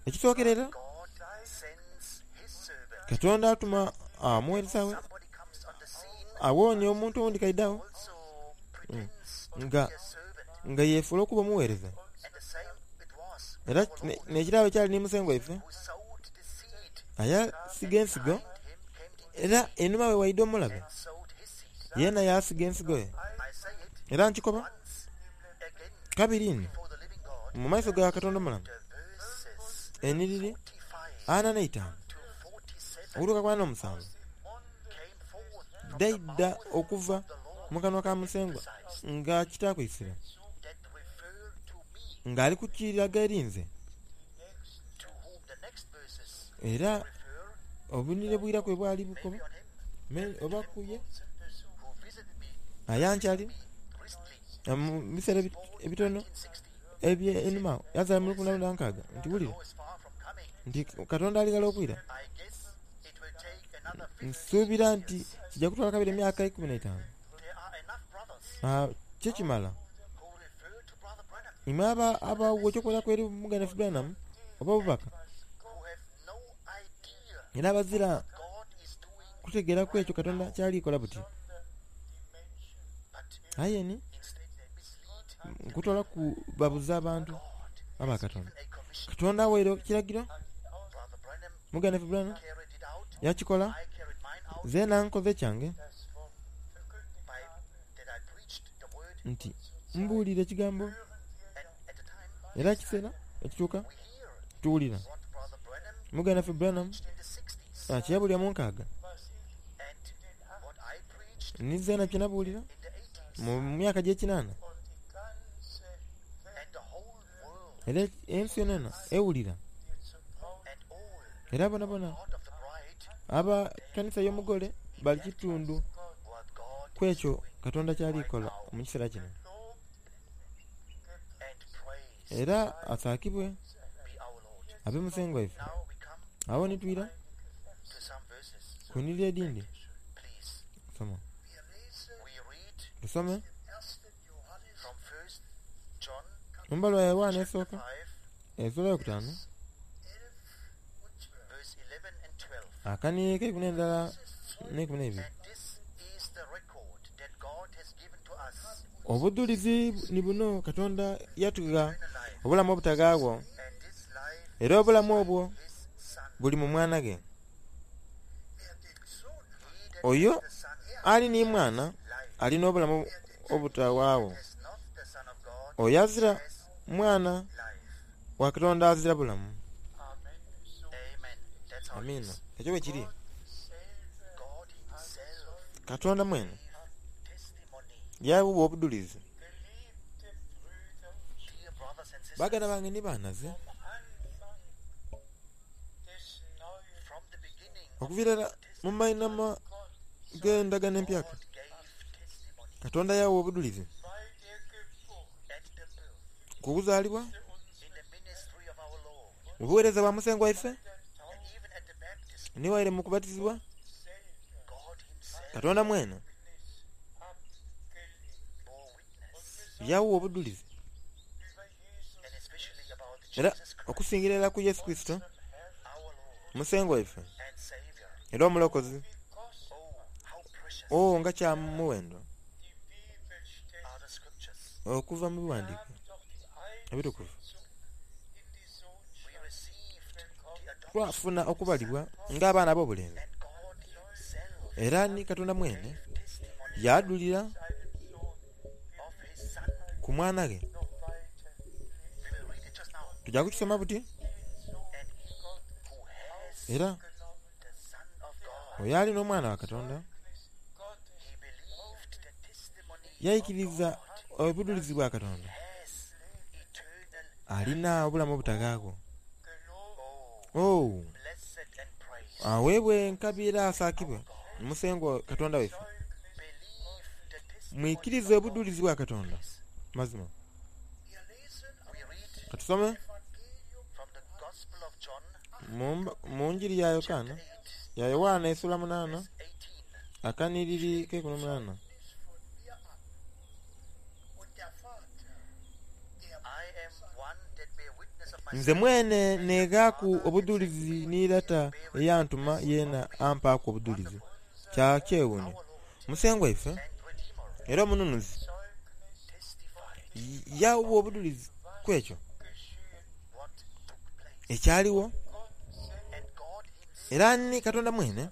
[SPEAKER 1] ekisookerera
[SPEAKER 2] God sends his servant.
[SPEAKER 1] Katonda atuma omuweereza we
[SPEAKER 2] Somebody comes on the scene,
[SPEAKER 1] awoonya omuntu owundi kaidaawo
[SPEAKER 2] also pretends to
[SPEAKER 1] Nga-
[SPEAKER 2] be a servant.
[SPEAKER 1] nga yeefuula okuba omuweereza
[SPEAKER 2] And the same it was with
[SPEAKER 1] era
[SPEAKER 2] our
[SPEAKER 1] ne-
[SPEAKER 2] Lord,
[SPEAKER 1] n'ekirabo kyali ne musengwa waife
[SPEAKER 2] who sowed the seed.
[SPEAKER 1] ayasiga ensigo
[SPEAKER 2] Behind him came the
[SPEAKER 1] era enuma we waidde omulabe
[SPEAKER 2] and sowed his seed.
[SPEAKER 1] yeena yasiga ensigo ye
[SPEAKER 2] I say it
[SPEAKER 1] era nkikoba
[SPEAKER 2] once again
[SPEAKER 1] kabiri nno
[SPEAKER 2] before the living God,
[SPEAKER 1] mu maiso ga Katonda omulamu
[SPEAKER 2] the verses
[SPEAKER 1] eniriri
[SPEAKER 2] forty-five
[SPEAKER 1] ana n'eitaano
[SPEAKER 2] to forty-seven
[SPEAKER 1] okutuuka ku ana n'omusanvu
[SPEAKER 2] came forth from the
[SPEAKER 1] daidda
[SPEAKER 2] mouth
[SPEAKER 1] okuva
[SPEAKER 2] of the Lord
[SPEAKER 1] mu kanwa ka musengwa nga kitaakwisira
[SPEAKER 2] that refer to me,
[SPEAKER 1] ng'ali kukiraga eri nze
[SPEAKER 2] to whom the next verses
[SPEAKER 1] era
[SPEAKER 2] refer,
[SPEAKER 1] obunire bwira kwe bwali bukoba
[SPEAKER 2] maybe on him
[SPEAKER 1] me- oba kuye
[SPEAKER 2] who visited me
[SPEAKER 1] ayankyali
[SPEAKER 2] recently,
[SPEAKER 1] mu biseera ebi- ebitono
[SPEAKER 2] nineteen sixty.
[SPEAKER 1] ebyenuma yazala mu lukumi lwenda nkaaga nti wulira
[SPEAKER 2] Law is far from coming.
[SPEAKER 1] nti Katonda aligala okwira
[SPEAKER 2] I guess it will take another fifty
[SPEAKER 1] nsuubira nti kijja kutwala kabiri emyaka ekumi n'etaano
[SPEAKER 2] There are enough brothers
[SPEAKER 1] Ah, kyekimala
[SPEAKER 2] who refer to Brother Branham
[SPEAKER 1] imwe aba abawa ekyokulabirako eri muganda waffe Branham oba obubaka
[SPEAKER 2] who have no idea
[SPEAKER 1] era abazira
[SPEAKER 2] God is doing,
[SPEAKER 1] kutegeera ku ekyo Katonda kyalikola buti
[SPEAKER 2] but
[SPEAKER 1] aye ni
[SPEAKER 2] instead they mislead
[SPEAKER 1] nkutwala ku babuza abantu
[SPEAKER 2] God.
[SPEAKER 1] aba Katonda
[SPEAKER 2] A commission.
[SPEAKER 1] Katonda awaire ekiragiro
[SPEAKER 2] Brother Branham
[SPEAKER 1] muganda waffe Branham
[SPEAKER 2] carried it out.
[SPEAKER 1] yakikola
[SPEAKER 2] I carried mine out.
[SPEAKER 1] Zeena nkoze kyange
[SPEAKER 3] das Wort verkündigt
[SPEAKER 2] by
[SPEAKER 3] habe.
[SPEAKER 2] that I preached the word,
[SPEAKER 1] nti mbuulira ekigambo
[SPEAKER 2] and at the time
[SPEAKER 1] era ekiseera ekituuka
[SPEAKER 2] we hear
[SPEAKER 1] tuwulira
[SPEAKER 2] what Brother Branham
[SPEAKER 1] muganda ffe Branham
[SPEAKER 2] preached in the sixties
[SPEAKER 1] ah, kyeyabulira mu nkaaga
[SPEAKER 3] Was ich
[SPEAKER 2] and what I preached
[SPEAKER 1] ni zeena kye nabuulira
[SPEAKER 2] in the eighties
[SPEAKER 1] mu myaka gy'ekinaana
[SPEAKER 3] und die ganze Welt
[SPEAKER 2] and the whole world
[SPEAKER 1] era ensi yonayona ewulira
[SPEAKER 3] dir zu Braut
[SPEAKER 2] and all
[SPEAKER 1] era bonabona
[SPEAKER 2] part of the bride
[SPEAKER 1] aba kanisa y'omugole bali kitundu
[SPEAKER 2] what God
[SPEAKER 1] ku ekyo Katonda kyalikola mu kiseera kino
[SPEAKER 3] gelobt,
[SPEAKER 2] and praise
[SPEAKER 1] era asaakibwe
[SPEAKER 2] be our Lord.
[SPEAKER 1] abe musengo waife
[SPEAKER 2] Now we come
[SPEAKER 1] awo nitwira
[SPEAKER 2] to some verses.
[SPEAKER 1] ku nirira edindi
[SPEAKER 2] Please,
[SPEAKER 1] soma
[SPEAKER 3] Wir lesen
[SPEAKER 2] we read
[SPEAKER 1] tusome
[SPEAKER 3] im ersten Johannes
[SPEAKER 2] from First John
[SPEAKER 1] mu mbaluwa ya Yowaana
[SPEAKER 2] chapter
[SPEAKER 1] esooka
[SPEAKER 2] five,
[SPEAKER 1] essuula yokutaano
[SPEAKER 3] elf und zwölf.
[SPEAKER 2] verse eleven and twelve.
[SPEAKER 1] akaniiko ekumi n'endala n'ekumi n'ebiri
[SPEAKER 2] And this is the record that God has given to us
[SPEAKER 1] obujulizi ni buno Katonda yatugha
[SPEAKER 2] eternal life,
[SPEAKER 1] obulamu obutagaagwo
[SPEAKER 2] and this life
[SPEAKER 1] era obulamu obwo
[SPEAKER 2] his Son.
[SPEAKER 1] buli mu mwana ge
[SPEAKER 3] Wer den Sohn hat,
[SPEAKER 2] He that
[SPEAKER 1] Oyo
[SPEAKER 2] has the Son
[SPEAKER 1] ali ni mwana
[SPEAKER 2] life
[SPEAKER 1] alina obulamu obutawaawo
[SPEAKER 2] has not the Son of God
[SPEAKER 1] oyo azira
[SPEAKER 2] has
[SPEAKER 1] mwana
[SPEAKER 2] life.
[SPEAKER 1] wa Katonda azira bulamu
[SPEAKER 3] Amen. So
[SPEAKER 2] Amen. That's how it
[SPEAKER 1] amiina
[SPEAKER 2] is.
[SPEAKER 1] ekyo bwe kiri
[SPEAKER 3] Gott selber
[SPEAKER 2] God Himself
[SPEAKER 1] Katonda mwene
[SPEAKER 2] gave testimony.
[SPEAKER 1] yawa obujulizi
[SPEAKER 3] Geliebte Brüder und
[SPEAKER 2] Dear brothers and sisters,
[SPEAKER 1] baganda bange ni baanaze
[SPEAKER 3] vom Anfang des Neuen
[SPEAKER 2] from the beginning of
[SPEAKER 1] okuviira ddala mu mainama
[SPEAKER 3] Gott
[SPEAKER 1] g'endagaano empyaka
[SPEAKER 2] God gave testimony
[SPEAKER 1] Katonda yawa obujulizi
[SPEAKER 3] bei der Geburt
[SPEAKER 2] at the birth
[SPEAKER 1] ku kuzaalibwa
[SPEAKER 2] in the ministry of our Lord
[SPEAKER 1] mu buweereza bwa musengo waife
[SPEAKER 2] and even at the baptism.
[SPEAKER 1] niwaire mu kubatizibwa
[SPEAKER 3] selber
[SPEAKER 2] God Himself
[SPEAKER 1] Katonda mwene
[SPEAKER 3] abgelegt.
[SPEAKER 2] bore witness,
[SPEAKER 1] yawa obujulizi
[SPEAKER 3] Über Jesus
[SPEAKER 2] and especially about
[SPEAKER 1] era
[SPEAKER 2] Jesus Christ,
[SPEAKER 1] okusingira ddala ku Yesu Kristo
[SPEAKER 2] our Lord
[SPEAKER 1] musengo waife
[SPEAKER 2] and Savior.
[SPEAKER 1] era omulokozi
[SPEAKER 3] wie kostbar
[SPEAKER 2] Oh, how precious
[SPEAKER 1] oo nga kya muwendo
[SPEAKER 3] die Bibelstellen
[SPEAKER 2] are the scriptures.
[SPEAKER 1] okuva mu biwandiiko
[SPEAKER 3] haben doch die
[SPEAKER 1] ebitukuvu
[SPEAKER 3] Einsetzung in die
[SPEAKER 2] We
[SPEAKER 3] Sohnschaft
[SPEAKER 2] received the adoption,
[SPEAKER 1] twafuna okubalibwa ng'abaana ab'obulenzi
[SPEAKER 2] and God Himself
[SPEAKER 1] era ni Katonda mwene
[SPEAKER 2] gave testimony
[SPEAKER 1] yadulira
[SPEAKER 3] seinem Sohn
[SPEAKER 2] of His Son.
[SPEAKER 1] ku mwana ge
[SPEAKER 3] noch weiter
[SPEAKER 2] We will read it just now.
[SPEAKER 1] tujja kukisoma buti
[SPEAKER 2] And he who has
[SPEAKER 1] era
[SPEAKER 3] genommen.
[SPEAKER 2] the Son of God,
[SPEAKER 1] oyo alina omwana wa Katonda
[SPEAKER 3] Gottes
[SPEAKER 2] he believed the testimony of
[SPEAKER 1] yayikiriza
[SPEAKER 2] God
[SPEAKER 1] obujulizi bwa Katonda
[SPEAKER 2] has eternal
[SPEAKER 1] alina obulamu obutagaagwo
[SPEAKER 3] gelobt
[SPEAKER 2] Oh,
[SPEAKER 1] oh
[SPEAKER 2] blessed and praised.
[SPEAKER 1] aweebwe enkabi era asaakibwe musengo Katonda waife
[SPEAKER 2] Believe the testimony
[SPEAKER 1] mwikirize
[SPEAKER 2] of God.
[SPEAKER 1] obujulizi bwa Katonda mazima
[SPEAKER 3] Wir lesen
[SPEAKER 2] We read
[SPEAKER 1] katusome
[SPEAKER 3] Evangelium
[SPEAKER 2] from the Gospel of John,
[SPEAKER 1] mu mba- mu njiri ya Yokaana
[SPEAKER 2] chapter eight,
[SPEAKER 1] ya Yowaana essuula munaana
[SPEAKER 2] verse eighteen.
[SPEAKER 1] akaniriri k'ekumi n'omunaana
[SPEAKER 3] Zeugnis von mir ab. Und der Vater, der
[SPEAKER 2] I am one that bear witness of
[SPEAKER 1] nze
[SPEAKER 2] myself,
[SPEAKER 1] mwene neegaaku obujulizi ni lata eyantuma yeena ampaaku obujulizi kya kyewuunyo
[SPEAKER 2] our Lord
[SPEAKER 1] musengo waife
[SPEAKER 2] and Redeemer,
[SPEAKER 1] era omununuzi
[SPEAKER 3] Zeugnis
[SPEAKER 2] testified
[SPEAKER 1] yawa obujulizi ku ekyo
[SPEAKER 3] geschehen.
[SPEAKER 2] what took place.
[SPEAKER 1] ekyaliwo
[SPEAKER 3] Gott selber,
[SPEAKER 2] And God Himself
[SPEAKER 1] era ni Katonda mwene
[SPEAKER 3] der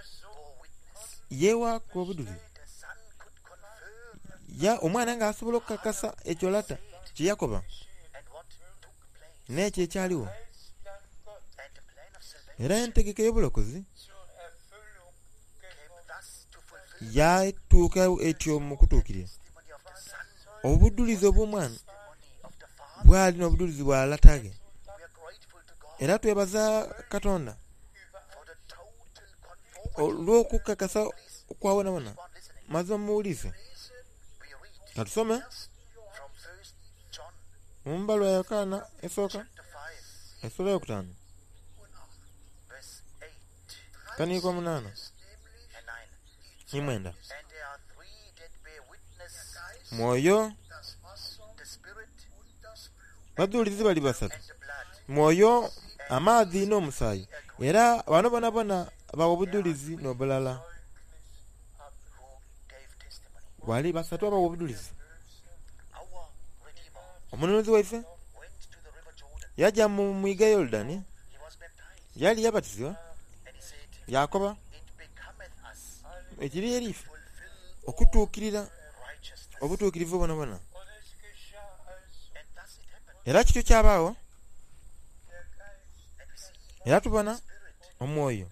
[SPEAKER 3] Sohn
[SPEAKER 2] bore witness.
[SPEAKER 1] yeewaaku obujulizi
[SPEAKER 2] The Son could confirm
[SPEAKER 1] ya omwana ng'asobola okukakasa ekyo lata kye yakoba
[SPEAKER 2] and what took place
[SPEAKER 1] n'ekyo ekyaliwo
[SPEAKER 3] Heilsplan Gottes
[SPEAKER 2] and the plan of salvation
[SPEAKER 1] era entegeka y'obulokozi
[SPEAKER 3] zur Erfüllung
[SPEAKER 2] came
[SPEAKER 3] gekommen.
[SPEAKER 2] thus to fulfill
[SPEAKER 1] yatuuka etyo mu kutuukirira
[SPEAKER 2] testimony of the Son,
[SPEAKER 1] obujulizi obw'omwana
[SPEAKER 2] testimony of the Father.
[SPEAKER 1] bwali n'obujulizi bwa lata ge
[SPEAKER 2] We are grateful to God
[SPEAKER 1] era twebaza Katonda
[SPEAKER 2] for the total conformity.
[SPEAKER 1] olw'okukakasa okwawonawona
[SPEAKER 2] Keep on listening.
[SPEAKER 1] mazima muwulize
[SPEAKER 2] We read
[SPEAKER 1] katusome
[SPEAKER 2] from First John
[SPEAKER 1] mu mbaluwa ya Yokaana esooka
[SPEAKER 2] chapter five,
[SPEAKER 1] essuula yokutaano
[SPEAKER 2] verse eight
[SPEAKER 1] kaniiko omunaana
[SPEAKER 2] and nine.
[SPEAKER 1] ni mwenda
[SPEAKER 2] And there are three that bear witness:
[SPEAKER 1] mwoyo
[SPEAKER 3] Das Wasser
[SPEAKER 2] the Spirit
[SPEAKER 3] und das Blut.
[SPEAKER 1] bajulizi bali basatu
[SPEAKER 2] and the blood.
[SPEAKER 1] mwoyo amaadhi n'omusaayi era bano bonabona bawa obujulizi n'obulala
[SPEAKER 3] Zeugnis ab.
[SPEAKER 2] Who gave testimony.
[SPEAKER 1] wali basatu abawa obujulizi
[SPEAKER 2] Our Redeemer
[SPEAKER 1] omununuzi waife
[SPEAKER 2] went to the river Jordan.
[SPEAKER 1] yajja mu mwiga Yoludaani
[SPEAKER 2] He was baptized,
[SPEAKER 1] yali yabatizibwa
[SPEAKER 2] and he said,
[SPEAKER 1] yakoba
[SPEAKER 2] It becometh us
[SPEAKER 1] Ekiri eriife
[SPEAKER 2] fulfill
[SPEAKER 1] okutuukirira
[SPEAKER 2] righteousness.
[SPEAKER 1] obutuukirivu bwonabwona.
[SPEAKER 3] Und es geschah also,
[SPEAKER 2] And thus it happened.
[SPEAKER 1] Era kityo kyabaawo,
[SPEAKER 3] der Geist
[SPEAKER 2] And we see
[SPEAKER 1] era tubona
[SPEAKER 2] Spirit,
[SPEAKER 1] omwoyo,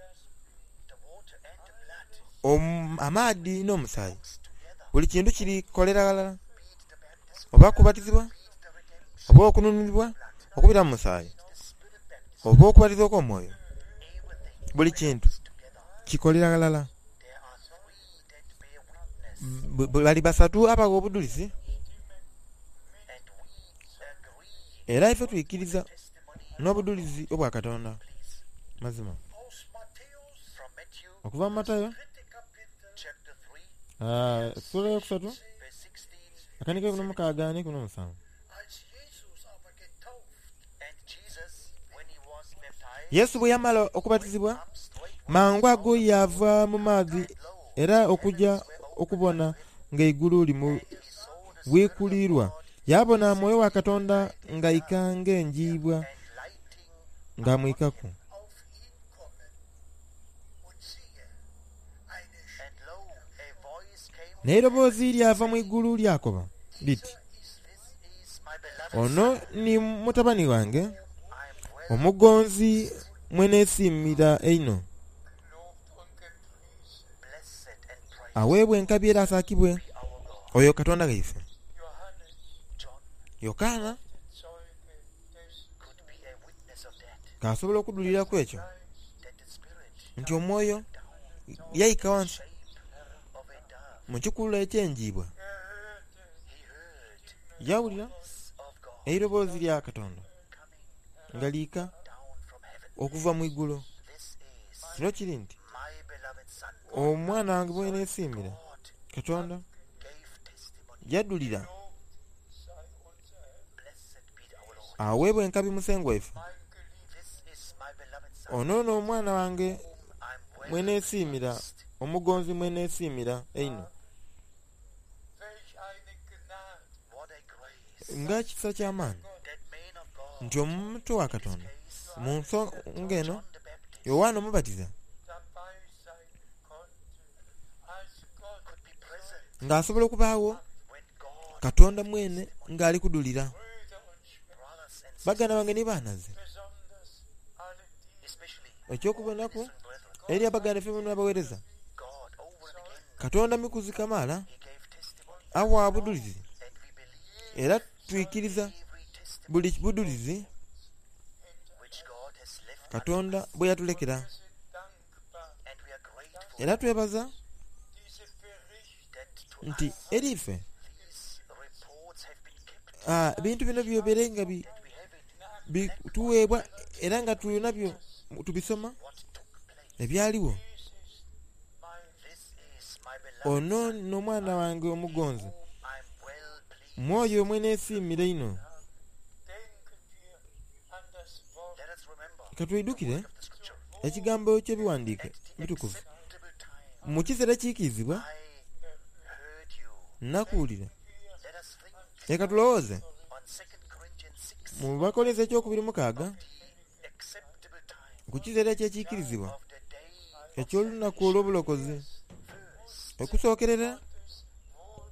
[SPEAKER 2] the water and the blood
[SPEAKER 1] Om- amaadhi n'omusaayi,
[SPEAKER 2] works together.
[SPEAKER 1] buli kintu kirikolera ghalala,
[SPEAKER 2] Be it the baptism,
[SPEAKER 1] oba kubatizibwa,
[SPEAKER 2] be it the redemption,
[SPEAKER 1] oba okununulibwa okubira mu musaayi,
[SPEAKER 2] the Spirit baptism,
[SPEAKER 1] oba okubatiza okw'omwoyo,
[SPEAKER 2] everything
[SPEAKER 1] buli kintu
[SPEAKER 2] is together.
[SPEAKER 1] kikolera ghalala.
[SPEAKER 2] There are three that bear witness,
[SPEAKER 1] B- bali basatu abawa obudulizi,
[SPEAKER 2] and we agree
[SPEAKER 1] era ife twikiriza
[SPEAKER 2] testimony.
[SPEAKER 1] n'obudulizi obwa Katonda.
[SPEAKER 2] Please,
[SPEAKER 1] Mazima
[SPEAKER 3] aus Matthäus,
[SPEAKER 2] from Matthew
[SPEAKER 1] okuva mu Matayo
[SPEAKER 3] dritte Kapitel,
[SPEAKER 2] chapter three,
[SPEAKER 1] ah, essula eyokusatu
[SPEAKER 2] verse sixteen.
[SPEAKER 1] akanika ekumi n'omukaaga n'ekumi n'omusanvu.
[SPEAKER 3] als Jesus aber getauft
[SPEAKER 2] And Jesus, when he was baptized,
[SPEAKER 1] Yesu bwe yamala okubatizibwa,
[SPEAKER 2] up straightway
[SPEAKER 1] mangu ago yava mu maadhi
[SPEAKER 2] lo,
[SPEAKER 1] era okujja okubona ng'eigulu limu
[SPEAKER 2] he saw the Spirit
[SPEAKER 1] bwikulirwa, yabona mwoyo wa Katonda ng'aika ng'enjiibwa
[SPEAKER 2] and lighting
[SPEAKER 1] ng'amwikaku.
[SPEAKER 3] auf ihn kommen. Und siehe, eine
[SPEAKER 2] And lo, a voice came
[SPEAKER 1] N'eiroboozi lyava mu igulu lyakoba liti,
[SPEAKER 2] This is my beloved
[SPEAKER 1] ono ni mutabani wange
[SPEAKER 2] I am well
[SPEAKER 1] omugonzi mwe neesiimira einho,
[SPEAKER 3] gelobt und gepriesen.
[SPEAKER 2] blessed and praised
[SPEAKER 1] aweebwa enkabi era asaakibwe
[SPEAKER 2] be our God.
[SPEAKER 1] oyo Katonda gaife.
[SPEAKER 3] Johannes,
[SPEAKER 2] John
[SPEAKER 1] Yokaana
[SPEAKER 3] Zeuge des
[SPEAKER 2] could be a witness of that,
[SPEAKER 1] k'asobola okuduliraku ekyo
[SPEAKER 2] that the Spirit
[SPEAKER 1] nti omwoyo
[SPEAKER 2] down
[SPEAKER 1] yayika wansi
[SPEAKER 2] shape of a dove.
[SPEAKER 1] mu kikululo eky'enjiibwa,
[SPEAKER 3] Er hörte
[SPEAKER 2] He heard
[SPEAKER 1] yawulira
[SPEAKER 2] the voice of God
[SPEAKER 1] eiroboozi lya Katonda
[SPEAKER 2] coming
[SPEAKER 1] nga liika
[SPEAKER 2] down from heaven.
[SPEAKER 1] okuva mu igulu.
[SPEAKER 2] This is
[SPEAKER 1] Kino kiri nti
[SPEAKER 2] my beloved Son.
[SPEAKER 1] omwana wange bwe neesiimira,
[SPEAKER 2] God
[SPEAKER 1] Katonda
[SPEAKER 2] gave testimony.
[SPEAKER 1] yaddulira
[SPEAKER 3] Gelobt sei unser Herr,
[SPEAKER 2] Blessed be our Lord.
[SPEAKER 1] aweebwa enkabi musengwa waife.
[SPEAKER 3] mein geliebter
[SPEAKER 2] This is my beloved Son,
[SPEAKER 1] Ono nno omwana wange
[SPEAKER 2] whom I'm well
[SPEAKER 1] mwe neesiimira,
[SPEAKER 2] pleased.
[SPEAKER 1] omugonzi mwe neesiimira einho.
[SPEAKER 3] Welch eine Gnade,
[SPEAKER 2] What a grace
[SPEAKER 1] Nga kisa ky'amaanyi
[SPEAKER 2] that man of God,
[SPEAKER 1] nti omuntu wa Katonda
[SPEAKER 2] case
[SPEAKER 1] mu nsonga eno
[SPEAKER 2] John the Baptist,
[SPEAKER 1] Yowaana Omubatiza
[SPEAKER 3] dabei sein konnte, als Gott
[SPEAKER 2] could be present
[SPEAKER 1] ng'asobola okubaawo
[SPEAKER 2] when God,
[SPEAKER 1] Katonda mwene ng'ali kudulira.
[SPEAKER 3] Brüder und Schwestern,
[SPEAKER 2] brothers and sisters,
[SPEAKER 1] Baganda bange ne baanaze,
[SPEAKER 3] besonders alle die,
[SPEAKER 2] especially
[SPEAKER 1] ekyokubonaku
[SPEAKER 2] listen, brethren,
[SPEAKER 1] eri abaganda ffe bonna abaweereza,
[SPEAKER 2] God over and again,
[SPEAKER 1] Katonda mikuzi kamaala
[SPEAKER 2] He gave testimony,
[SPEAKER 1] awa budulizi
[SPEAKER 2] and we believe
[SPEAKER 1] era twikiriza
[SPEAKER 2] every testimony
[SPEAKER 1] buli budulizi
[SPEAKER 2] which God has left unto
[SPEAKER 1] Katonda
[SPEAKER 2] us,
[SPEAKER 1] bwe yatulekera,
[SPEAKER 3] wir sind dankbar,
[SPEAKER 2] and we are grateful
[SPEAKER 1] era twebaza
[SPEAKER 3] diese Berichte
[SPEAKER 2] that to
[SPEAKER 1] nti
[SPEAKER 2] us
[SPEAKER 1] eri ife
[SPEAKER 2] these reports have been kept,
[SPEAKER 1] ah, ebintu bino byobere nga bi-
[SPEAKER 2] that we have it
[SPEAKER 1] bituweebwa era nga tulina byo tubisoma
[SPEAKER 2] what took place.
[SPEAKER 1] ebyaliwo.
[SPEAKER 3] Dies ist mein
[SPEAKER 2] This is my beloved
[SPEAKER 1] Ono
[SPEAKER 2] Son,
[SPEAKER 1] n'omwana wange omugonzi
[SPEAKER 2] whom I'm well pleased.
[SPEAKER 1] mwoyo mwe neesiimira einho.
[SPEAKER 3] Denken wir an das Wort
[SPEAKER 2] Let us remember
[SPEAKER 1] Katwidukire
[SPEAKER 2] of the scripture.
[SPEAKER 1] ekigambo ky'ebiwandiike
[SPEAKER 2] At the
[SPEAKER 1] bitukuvu.
[SPEAKER 2] acceptable time,
[SPEAKER 1] Mu kiseera kiikirizibwa
[SPEAKER 2] I heard you.
[SPEAKER 1] nakuwulira.
[SPEAKER 2] Let us think
[SPEAKER 1] Leka tulowooze
[SPEAKER 2] on Second Corinthians six,
[SPEAKER 1] mu Bakolinso ekyokubiri mukaaga
[SPEAKER 2] the acceptable time
[SPEAKER 1] ku kiseera ekyekiikirizibwa
[SPEAKER 2] of the day
[SPEAKER 1] eky'olunaku olw'obulokozi
[SPEAKER 2] first,
[SPEAKER 1] okusookerera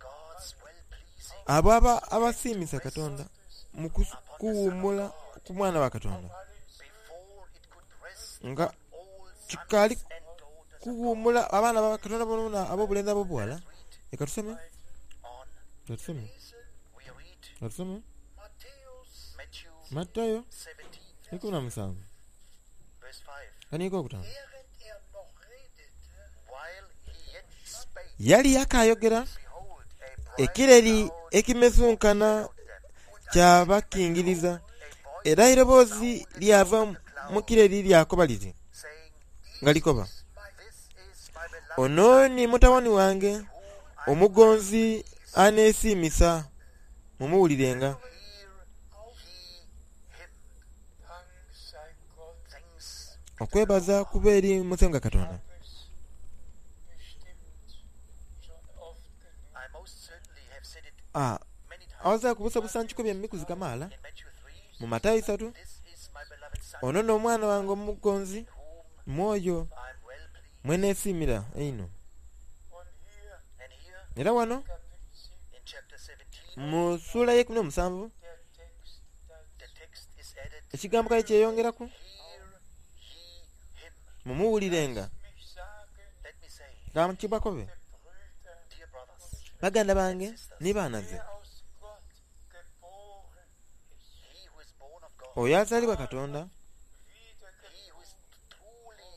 [SPEAKER 2] God's well-pleasing
[SPEAKER 1] abo aba abasiimisa Katonda mu kus- kuwummula ku mwana wa Katonda
[SPEAKER 2] before it could rest
[SPEAKER 1] nga
[SPEAKER 2] all
[SPEAKER 1] kikaali
[SPEAKER 2] sons and daughters
[SPEAKER 1] kuwummula abaana ba Katonda bonna ab'obulenzi ab'obuwala. Leka tusome,
[SPEAKER 2] on.
[SPEAKER 1] leka tusome,
[SPEAKER 2] We read
[SPEAKER 1] leka tusome
[SPEAKER 3] Matthäus
[SPEAKER 2] Matthew
[SPEAKER 1] Matayo
[SPEAKER 2] seventeen,
[SPEAKER 1] ikumi na musanvu
[SPEAKER 2] verse five.
[SPEAKER 1] kaniiko okutaano.
[SPEAKER 3] Während er noch redete,
[SPEAKER 2] While he yet spake,
[SPEAKER 1] Yali akaayogera
[SPEAKER 2] behold, a bright
[SPEAKER 1] ekireri
[SPEAKER 2] cloud
[SPEAKER 1] ekimesunkana
[SPEAKER 2] clouded them.
[SPEAKER 1] kyabakingiriza
[SPEAKER 2] A voice
[SPEAKER 1] era eiroboozi lyava mu kireri lyakoba liti
[SPEAKER 2] saying,
[SPEAKER 1] nga likoba
[SPEAKER 2] This is my beloved
[SPEAKER 1] ono ni mutabani wange
[SPEAKER 2] whom I
[SPEAKER 1] omugonzi aneesiimisa mumuwulirenga.
[SPEAKER 2] hear ye him.
[SPEAKER 3] Dank sei Gott,
[SPEAKER 2] Thanks
[SPEAKER 1] Okwebaza kuba eri Musenga Katonda.
[SPEAKER 3] es bestimmt schon oft genug.
[SPEAKER 2] I most certainly have said it
[SPEAKER 1] Ah,
[SPEAKER 2] many times
[SPEAKER 1] awaza kubusabusa nkikobya emikuzi kamaala
[SPEAKER 2] in Matthew three.
[SPEAKER 1] mu Matayo isatu
[SPEAKER 2] This is my beloved son,
[SPEAKER 1] ono n'omwana wange omugonzi
[SPEAKER 2] whom
[SPEAKER 1] mwoyo
[SPEAKER 2] I'm well pleased.
[SPEAKER 1] mwe neesiimira einho. Era wano
[SPEAKER 2] In chapter seventeen,
[SPEAKER 1] mu ssuula y'ekumi n'omusanvu
[SPEAKER 3] der Text
[SPEAKER 2] the
[SPEAKER 3] dazu.
[SPEAKER 2] text is added,
[SPEAKER 1] ekigambo kale kyeyongeraku
[SPEAKER 2] hear ye him.
[SPEAKER 1] mumuwulirenga
[SPEAKER 3] Mich sagen,
[SPEAKER 2] Let me say,
[SPEAKER 1] kamukibwakobe
[SPEAKER 3] Brüder,
[SPEAKER 2] dear brothers,
[SPEAKER 1] baganda bange ne baana ze
[SPEAKER 3] wer aus Gott geboren ist,
[SPEAKER 2] he who is born of God,
[SPEAKER 1] oyo azaalibwa Katonda
[SPEAKER 2] he who is truly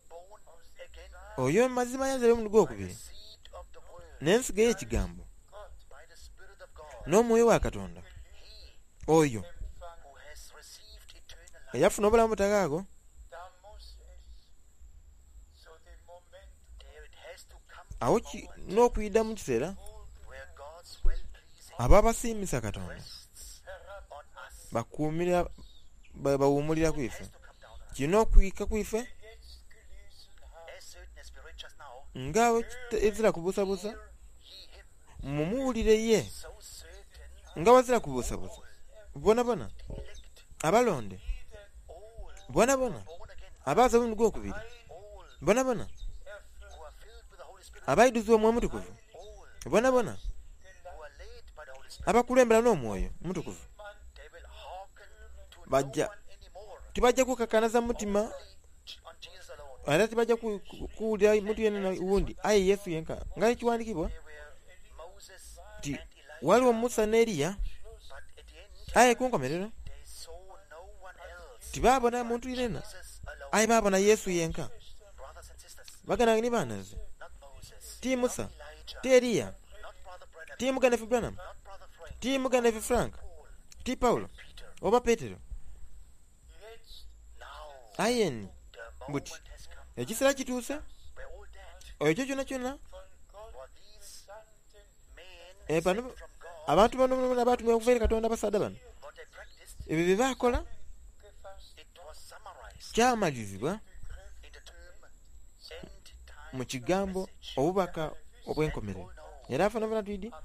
[SPEAKER 2] born again
[SPEAKER 1] oyo mu mazima yazaalibwa omulundi
[SPEAKER 2] by the
[SPEAKER 1] gwokubiri
[SPEAKER 2] seed of the word,
[SPEAKER 1] n'ensigo ey'ekigambo
[SPEAKER 3] Gott
[SPEAKER 2] by the Spirit of God,
[SPEAKER 1] n'omwoyo wa Katonda
[SPEAKER 2] he
[SPEAKER 1] oyo
[SPEAKER 3] empfangen,
[SPEAKER 2] who has received eternal life,
[SPEAKER 1] eyafuna obulamu butagaago
[SPEAKER 3] da muss es zu dem Moment
[SPEAKER 2] there it has to come
[SPEAKER 1] awo
[SPEAKER 2] the
[SPEAKER 1] ki-
[SPEAKER 2] moment
[SPEAKER 1] n'okuyida mu kiseera
[SPEAKER 2] where God's well-pleasing
[SPEAKER 1] abo abasiimisa Katonda
[SPEAKER 2] rests
[SPEAKER 3] herab
[SPEAKER 2] on us.
[SPEAKER 1] bakuumira ba- bawummulira ku
[SPEAKER 2] It
[SPEAKER 1] ife
[SPEAKER 2] has to come down on us.
[SPEAKER 1] kirina okuyika ku ife
[SPEAKER 3] wir jetzt gelesen haben,
[SPEAKER 2] As certain as we read just now,
[SPEAKER 1] nga ezira kubuusabuusa
[SPEAKER 2] hear ye him.
[SPEAKER 1] mumuwulire ye
[SPEAKER 2] So certain
[SPEAKER 1] nga wazira kubuusabuusa bona bona
[SPEAKER 2] the elect,
[SPEAKER 1] abalonde
[SPEAKER 2] all
[SPEAKER 1] bona bona
[SPEAKER 2] born again,
[SPEAKER 1] abaaza omulundi gwokubiri
[SPEAKER 2] all
[SPEAKER 1] bona bona
[SPEAKER 3] erfüllt
[SPEAKER 2] who are filled with the Holy Spirit,
[SPEAKER 1] abaiduzibwa omwoyo omutukuvu
[SPEAKER 2] all
[SPEAKER 1] bona bona
[SPEAKER 2] who are led by the Holy Spirit,
[SPEAKER 1] abakulembera n'omwoyo omutukuvu
[SPEAKER 2] they will hearken to no
[SPEAKER 1] Bajja.
[SPEAKER 2] one anymore.
[SPEAKER 1] tibajja kukakanaza mutima
[SPEAKER 2] Only on Jesus alone.
[SPEAKER 1] era tibajja ku- ku- kuwulira muntu yenna wundi aye Yesu yenka nga ekiwandiikibwa
[SPEAKER 2] There were Moses
[SPEAKER 1] nti
[SPEAKER 2] and Elijah,
[SPEAKER 1] waliwo Musa ne Eriya
[SPEAKER 2] but at the end
[SPEAKER 1] aye ku nkomerero
[SPEAKER 2] they saw no one else.
[SPEAKER 1] tibaabona muntu yenna
[SPEAKER 2] Jesus alone.
[SPEAKER 1] aye baabona Yesu yenka
[SPEAKER 2] Brothers and sisters,
[SPEAKER 1] baganda bange ne baana ze
[SPEAKER 2] not Moses,
[SPEAKER 1] ti Musa
[SPEAKER 2] not Elijah,
[SPEAKER 1] ti Eriya
[SPEAKER 2] not Brother Branham,
[SPEAKER 1] ti muganda ffe Branham
[SPEAKER 2] not Brother Frank,
[SPEAKER 1] ti muganda ffe Frank
[SPEAKER 2] Paul,
[SPEAKER 1] ti Pawulo
[SPEAKER 2] Peter.
[SPEAKER 1] oba Peetero
[SPEAKER 3] jetzt
[SPEAKER 2] Now
[SPEAKER 1] aye nni
[SPEAKER 2] the
[SPEAKER 1] But-
[SPEAKER 2] moment has come.
[SPEAKER 1] ekiseera kituuse
[SPEAKER 2] We're all dead.
[SPEAKER 1] ekyo kyonna kyonna
[SPEAKER 3] von Gott
[SPEAKER 2] What these
[SPEAKER 3] gesandten
[SPEAKER 2] men
[SPEAKER 1] Eh, bano-
[SPEAKER 2] sent from God,
[SPEAKER 1] abantu bano bano abatumibwa okuva eri Katonda abasaadha bano
[SPEAKER 2] what they practiced,
[SPEAKER 1] ebyo bye baakola
[SPEAKER 3] gefasst
[SPEAKER 2] it was summarized
[SPEAKER 1] kyamalizibwa
[SPEAKER 2] in the term end time
[SPEAKER 1] mu kigambo
[SPEAKER 2] message.
[SPEAKER 1] obubaka obw'enkomerero
[SPEAKER 2] All know
[SPEAKER 1] era afanafana twidi
[SPEAKER 2] that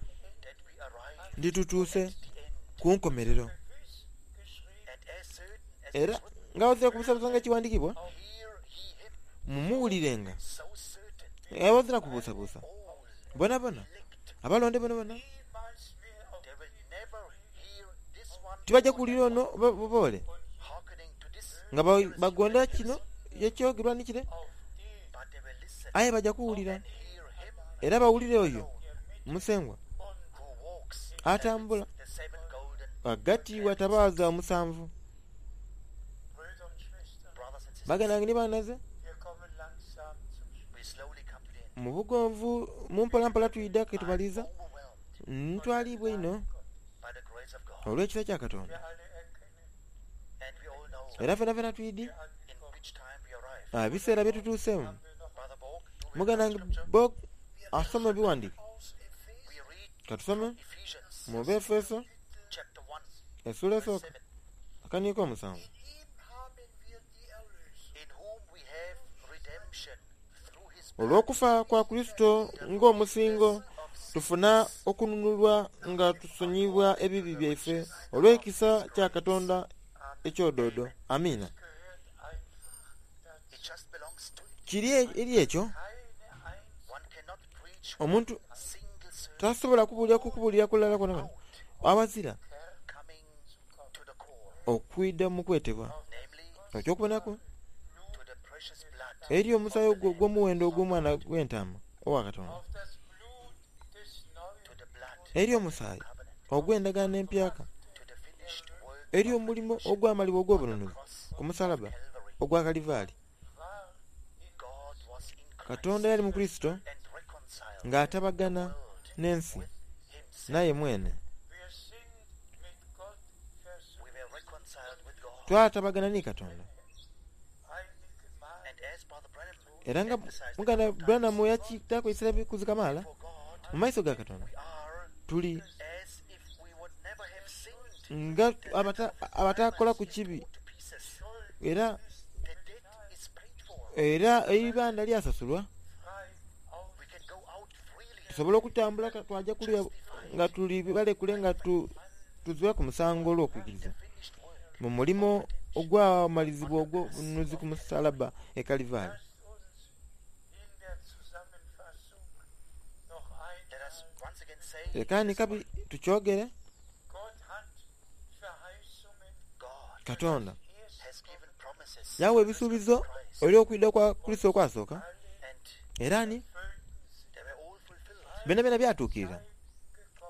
[SPEAKER 2] we arrived
[SPEAKER 1] ndi tutuuse
[SPEAKER 2] at the end.
[SPEAKER 1] ku nkomerero
[SPEAKER 3] gewiss geschrieben,
[SPEAKER 2] And as certain as
[SPEAKER 1] era
[SPEAKER 2] it's written,
[SPEAKER 1] nga wazira kubusabusa nga ekiwandiikibwa
[SPEAKER 2] hear ye him.
[SPEAKER 1] mumuwulirenga
[SPEAKER 2] So certain,
[SPEAKER 1] era wazira kubuusabuusa
[SPEAKER 2] all
[SPEAKER 1] bona bona
[SPEAKER 2] elect,
[SPEAKER 1] abalonde bona bona
[SPEAKER 3] niemals mehr auf
[SPEAKER 2] they will never hear this one
[SPEAKER 1] tibajja kuwulira ono oba- oba ole
[SPEAKER 2] hearkening to this,
[SPEAKER 1] nga ba- bagonda kino ekyogerwa ni kire
[SPEAKER 3] auf den,
[SPEAKER 2] but they will listen
[SPEAKER 1] aye bajja kuwulira
[SPEAKER 2] and hear him
[SPEAKER 1] era bawulire oyo musengwa
[SPEAKER 2] who walks
[SPEAKER 1] atambula
[SPEAKER 2] the seven golden
[SPEAKER 1] wagati watabaaza omusanvu
[SPEAKER 3] Brüder und Schwestern,
[SPEAKER 2] brothers and sisters.
[SPEAKER 1] baganda bange ne baana ze
[SPEAKER 3] wir kommen langsam zum Schluss.
[SPEAKER 2] We slowly come to the end.
[SPEAKER 1] mu bugonvu mu mpolampola tuyidda ketubaliza
[SPEAKER 2] Overwhelmed
[SPEAKER 1] ntwalibwa ino
[SPEAKER 2] by the grace of God.
[SPEAKER 1] olw'ekisa kya Katonda
[SPEAKER 3] Wir alle erkennen,
[SPEAKER 2] And we all know
[SPEAKER 1] era fena fena twidi
[SPEAKER 3] wir
[SPEAKER 2] in
[SPEAKER 3] angekommen
[SPEAKER 2] which time we arrived.
[SPEAKER 1] ah, biseera bye tutuuseemu
[SPEAKER 3] haben wir noch
[SPEAKER 2] Brother Borg, do we
[SPEAKER 1] muganda
[SPEAKER 2] read
[SPEAKER 1] wange
[SPEAKER 2] scripture?
[SPEAKER 1] Bog asoma ebiwandiiko
[SPEAKER 3] aus Epheser
[SPEAKER 2] We read
[SPEAKER 1] katusome
[SPEAKER 2] Ephesians
[SPEAKER 1] mu Befeso
[SPEAKER 2] chapter one,
[SPEAKER 1] essuula
[SPEAKER 2] verse
[SPEAKER 1] esooka
[SPEAKER 2] seven.
[SPEAKER 1] akaniiko omusanvu
[SPEAKER 3] In ihm haben wir die Erlösung
[SPEAKER 2] In whom we have redemption through his blood,
[SPEAKER 1] olw'okufa kwa Kristo ng'omusingo tufuna okununulwa nga tusonyibwa ebibi byaife olw'ekisa kya Katonda ekyodoodo amiina
[SPEAKER 3] gehört einfach dazu.
[SPEAKER 2] It just belongs to it.
[SPEAKER 1] kiri eri ekyo
[SPEAKER 3] Keine einzige
[SPEAKER 2] One cannot preach
[SPEAKER 1] omuntu
[SPEAKER 2] single sermon
[SPEAKER 1] tasobola kubuulira kukubuulira kulala kwona kwona awazira
[SPEAKER 2] coming to the core,
[SPEAKER 1] okwidda mu kwetebwa
[SPEAKER 2] namely
[SPEAKER 1] ekyokubonaku
[SPEAKER 2] to the precious blood
[SPEAKER 1] eri omusaayi ogwo ogw'omuwendo ogw'omwana gw'entaama owa Katonda
[SPEAKER 3] auf das Blut des neuen
[SPEAKER 2] to the blood
[SPEAKER 1] eri omusaayi
[SPEAKER 2] covenant,
[SPEAKER 1] ogw'endagaano empyaka
[SPEAKER 2] to the finished work
[SPEAKER 1] eri omulimu ogwamalibwa ogw'obununuzi
[SPEAKER 2] cross
[SPEAKER 1] ku musalaba
[SPEAKER 2] Calvary.
[SPEAKER 1] ogwa Kalivaali
[SPEAKER 3] war in
[SPEAKER 2] God was in Christ
[SPEAKER 1] Katonda yali mu Kristo
[SPEAKER 2] and reconciled
[SPEAKER 1] ng'atabagana
[SPEAKER 2] the world
[SPEAKER 1] n'ensi
[SPEAKER 2] with himself.
[SPEAKER 1] naye mwene
[SPEAKER 3] wir sind mit Gott
[SPEAKER 2] We
[SPEAKER 3] versöhnt.
[SPEAKER 2] were reconciled with God.
[SPEAKER 1] twatabagana ne Katonda
[SPEAKER 3] Einige Male
[SPEAKER 2] And as Brother Branham
[SPEAKER 1] era nga
[SPEAKER 2] emphasized a
[SPEAKER 1] muganda
[SPEAKER 2] couple of times,
[SPEAKER 1] Branham yakitaako ekiseera bikuzikamaala
[SPEAKER 2] for God
[SPEAKER 1] mu maiso ga Katonda
[SPEAKER 2] we are
[SPEAKER 1] tuli
[SPEAKER 2] as if we would never have sinned.
[SPEAKER 1] nga abata- abataakola ku kibi
[SPEAKER 2] To pieces.
[SPEAKER 1] era
[SPEAKER 2] The debt is paid for.
[SPEAKER 1] era eibanda lyasasulwa
[SPEAKER 3] frei auf
[SPEAKER 2] We can go out freely
[SPEAKER 1] tusobole okutambula ka- twajja kulya nga tuli balekule nga tu- tuzibwa ku musango olw'okukkiriza
[SPEAKER 2] finished work
[SPEAKER 1] mu mulimo ogwamalizibwa ogw'obununuzi ku musalaba e Kalivaali
[SPEAKER 3] Lasst uns in der Zusammenfassung noch
[SPEAKER 2] Let
[SPEAKER 3] einmal
[SPEAKER 2] us us once again say
[SPEAKER 1] Leka kabi tukyogere.
[SPEAKER 3] Gott hat Verheißungen
[SPEAKER 2] God
[SPEAKER 1] Katonda
[SPEAKER 2] has given promises
[SPEAKER 1] yawa ebisuubizo eri okwidda kwa Kristo okwasooka,
[SPEAKER 2] and
[SPEAKER 1] era ni
[SPEAKER 3] erfüllten sich.
[SPEAKER 2] they were all fulfilled.
[SPEAKER 1] byonna byonna byatuukirira.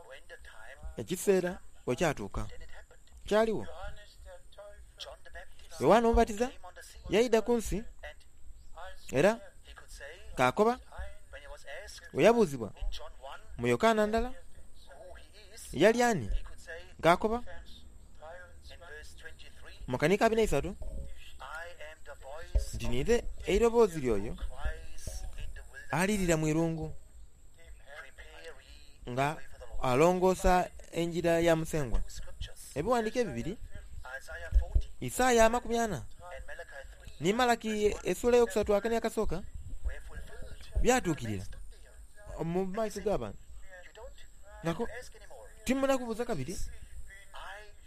[SPEAKER 2] When the time,
[SPEAKER 1] Ekiseera bwe kyatuuka
[SPEAKER 2] then it happened.
[SPEAKER 1] kyaliwo.
[SPEAKER 3] Johannes der Täufer
[SPEAKER 2] John the Baptist
[SPEAKER 1] Yowaana Omubatiza
[SPEAKER 2] came on the scene
[SPEAKER 1] yayida ku nsi
[SPEAKER 2] and
[SPEAKER 3] als
[SPEAKER 1] era
[SPEAKER 2] he could say,
[SPEAKER 1] kaakoba
[SPEAKER 3] ein
[SPEAKER 2] when he was asked
[SPEAKER 1] bwe yabuuzibwa
[SPEAKER 2] in John one
[SPEAKER 1] mu Yokaana ndala
[SPEAKER 2] who he is,
[SPEAKER 1] yali ani,
[SPEAKER 2] he could say
[SPEAKER 1] ng'akoba
[SPEAKER 3] Vers
[SPEAKER 2] in
[SPEAKER 3] dreiundzwanzig
[SPEAKER 2] verse twenty-three,
[SPEAKER 1] mu kanika abiri na isatu
[SPEAKER 2] I am the voice
[SPEAKER 1] nti
[SPEAKER 2] of
[SPEAKER 1] ninze eiroboozi ly'oyo
[SPEAKER 2] cries in the wilderness,
[SPEAKER 1] alirira mu irungu
[SPEAKER 3] dem Herrn
[SPEAKER 2] prepare ye
[SPEAKER 1] nga
[SPEAKER 2] the way for the Lord.
[SPEAKER 1] alongoosa enjira ya Musengwa.
[SPEAKER 2] Two scriptures,
[SPEAKER 1] Ebiwandiiko ebibiri,
[SPEAKER 2] Isaiah forty
[SPEAKER 1] Isaaya amakumi ana
[SPEAKER 2] and Malachi three,
[SPEAKER 1] ni Malaki essuula eyokusatu akani akasooka
[SPEAKER 2] were fulfilled.
[SPEAKER 1] byatuukirira
[SPEAKER 2] Stood there.
[SPEAKER 1] mu maaso g'abantu.
[SPEAKER 2] You don't
[SPEAKER 1] Nako
[SPEAKER 2] ask anymore.
[SPEAKER 1] timuna kubuuza kabiri,
[SPEAKER 2] I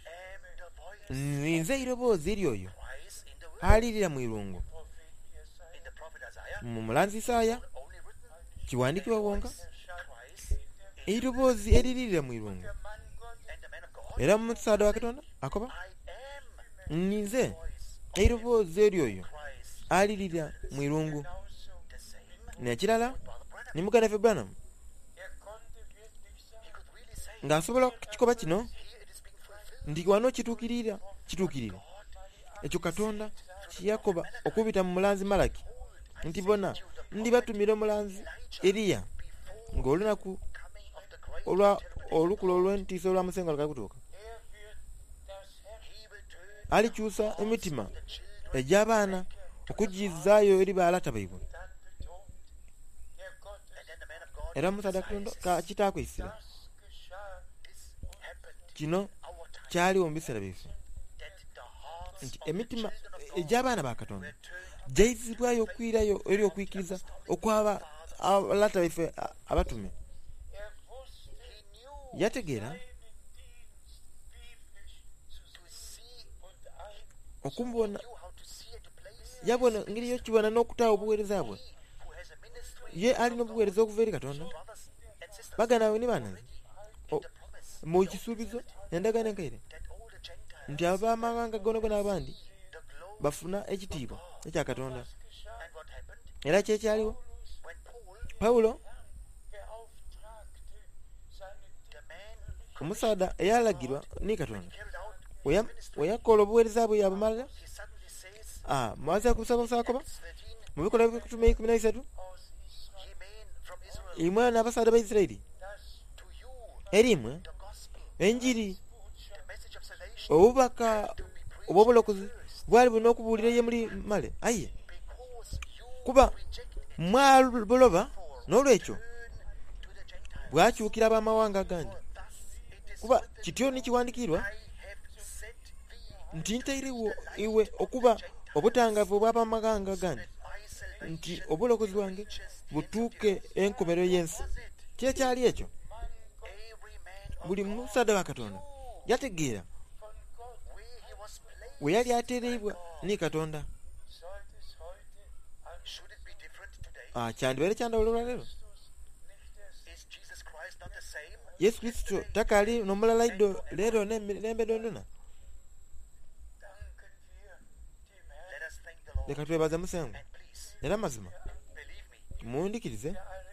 [SPEAKER 2] am the voice
[SPEAKER 1] nze eiroboozi ery'oyo
[SPEAKER 2] cries in the wilderness.
[SPEAKER 1] alirira mu irungu.
[SPEAKER 3] Prophet Jesaja
[SPEAKER 2] In the prophet Isaiah,
[SPEAKER 1] Mu mulanzi Isaaya
[SPEAKER 2] only written
[SPEAKER 1] kiwandiikibwa wonka
[SPEAKER 2] cries
[SPEAKER 1] eiroboozi eriririra mu irungu.
[SPEAKER 3] der Mann Gottes
[SPEAKER 2] and the man of God,
[SPEAKER 1] Era musaada wa Katonda akoba
[SPEAKER 2] I am
[SPEAKER 1] ninze
[SPEAKER 2] the voice
[SPEAKER 1] eiroboozi ery'oyo
[SPEAKER 2] cries
[SPEAKER 1] alirira mu irungu.
[SPEAKER 3] genauso.
[SPEAKER 2] the same
[SPEAKER 1] N'ekirala
[SPEAKER 2] with Brother Branham.
[SPEAKER 1] ni muganda waffe Branham
[SPEAKER 3] Er konnte wirklich
[SPEAKER 2] He
[SPEAKER 3] sagen,
[SPEAKER 2] could really say,
[SPEAKER 1] ng'asobola okukikoba kino
[SPEAKER 2] here it is being fulfilled.
[SPEAKER 1] nti wano kituukirira kituukirira ekyo Katonda kye yakoba okubita mu mulanzi Malaki nti bona ndibatumira omulanzi Eriya ng'olunaku
[SPEAKER 2] Coming of the great
[SPEAKER 1] olwa olukula olw'entiisa olwa Musengwa lukali kutuuka.
[SPEAKER 3] er wird das Herz
[SPEAKER 2] he will turn
[SPEAKER 1] Alikyusa emitima
[SPEAKER 2] the children
[SPEAKER 1] egy'abaana okugizaayo eri baalata baibwe.
[SPEAKER 3] dann betont, der Gottes,
[SPEAKER 2] and then the man of God
[SPEAKER 1] Era omusaadha Katonda ka kitaakwesira
[SPEAKER 3] das geschah
[SPEAKER 2] this happened
[SPEAKER 1] kino
[SPEAKER 2] our time
[SPEAKER 1] kyaliwo mu biseera byaife
[SPEAKER 2] that the hearts
[SPEAKER 1] nti
[SPEAKER 2] of the
[SPEAKER 1] emitima
[SPEAKER 2] children of God
[SPEAKER 1] egy'abaana ba Katonda
[SPEAKER 2] were turned
[SPEAKER 1] gyayizibwayo okwirayo eri okwikiriza okwaba abalata baife a- abatume.
[SPEAKER 3] Er wusste
[SPEAKER 2] he knew
[SPEAKER 1] Yategeera
[SPEAKER 3] seinen Dienst biblisch zu
[SPEAKER 2] to
[SPEAKER 3] sehen
[SPEAKER 2] see
[SPEAKER 3] und ein
[SPEAKER 1] okumbona
[SPEAKER 2] knew how to see and to place
[SPEAKER 1] yabona engeri y'okibona n'okutaawa obuweereza bwe.
[SPEAKER 2] he who has a ministry
[SPEAKER 1] Ye alina obuweereza okuva eri Katonda.
[SPEAKER 2] brothers and sisters
[SPEAKER 1] Baganda bawe ni baana
[SPEAKER 2] in
[SPEAKER 1] o-
[SPEAKER 2] the promise
[SPEAKER 1] mu kisuubizo endagaano enkaire
[SPEAKER 2] that all the Gentiles
[SPEAKER 1] nti ab'amawanga gonna abandi
[SPEAKER 2] the glory
[SPEAKER 1] bafuna ekitiibwa ekya Katonda.
[SPEAKER 3] was geschah.
[SPEAKER 2] and what happened
[SPEAKER 1] Era kyekyaliwo
[SPEAKER 2] when Paul
[SPEAKER 1] Pawulo
[SPEAKER 3] Beauftragte seinen
[SPEAKER 2] the man
[SPEAKER 1] omusaadha eyalagirwa ni Katonda
[SPEAKER 2] carried out
[SPEAKER 1] we- we yakola obuweereza bwe yabumalira
[SPEAKER 2] he suddenly says
[SPEAKER 1] ah, mwaza kusaba
[SPEAKER 2] Acts thirteen
[SPEAKER 1] mu bikolwa by'okutume ikumi na bisatu
[SPEAKER 3] aus Israel,
[SPEAKER 2] ye men from Israel
[SPEAKER 1] imwe n'abasaadha ba Isirayiri
[SPEAKER 3] das
[SPEAKER 2] to you
[SPEAKER 1] eri imwe
[SPEAKER 2] the gospel
[SPEAKER 1] enjiri
[SPEAKER 2] the message of salvation
[SPEAKER 1] obubaka
[SPEAKER 2] to be preached
[SPEAKER 1] obw'obulokozi
[SPEAKER 2] first
[SPEAKER 1] bwali bulina okubuulira ye muli male aye
[SPEAKER 2] because you
[SPEAKER 1] kuba
[SPEAKER 2] reject it
[SPEAKER 1] mwabuloba n'olwekyo
[SPEAKER 2] turn to the Gentiles
[SPEAKER 1] bwakyukira ab'amawanga agandi
[SPEAKER 2] for thus it is
[SPEAKER 1] kuba
[SPEAKER 2] written
[SPEAKER 1] kityo nikiwandiikirwa
[SPEAKER 2] I have set thee
[SPEAKER 1] nti ntairewo iwe okuba obutangavu obw'abamawanga agandi
[SPEAKER 2] that my salvation
[SPEAKER 1] nti obulokozi bwange butuuke enkomerero y'ensi.
[SPEAKER 2] was it
[SPEAKER 1] Kyekyali ekyo
[SPEAKER 2] every man of
[SPEAKER 1] buli musaadha wa Katonda yategeera
[SPEAKER 3] von Gott
[SPEAKER 2] where he was placed
[SPEAKER 1] we yali ateereibwa ni Katonda.
[SPEAKER 3] sollte es heute an
[SPEAKER 2] should it be different today
[SPEAKER 1] Ah, kyandibaire kyandawulo olwaleero.
[SPEAKER 3] Christus nicht der
[SPEAKER 2] is Jesus Christ not the same
[SPEAKER 1] Yesu Kristo takaali n'omulala iddo leero n'emirembe dondona.
[SPEAKER 3] danken wir dem Herrn,
[SPEAKER 2] let us thank the Lord
[SPEAKER 1] Leka twebaze Musengwa
[SPEAKER 2] and please
[SPEAKER 1] era mazima
[SPEAKER 2] believe me
[SPEAKER 1] mundikirize
[SPEAKER 3] der alle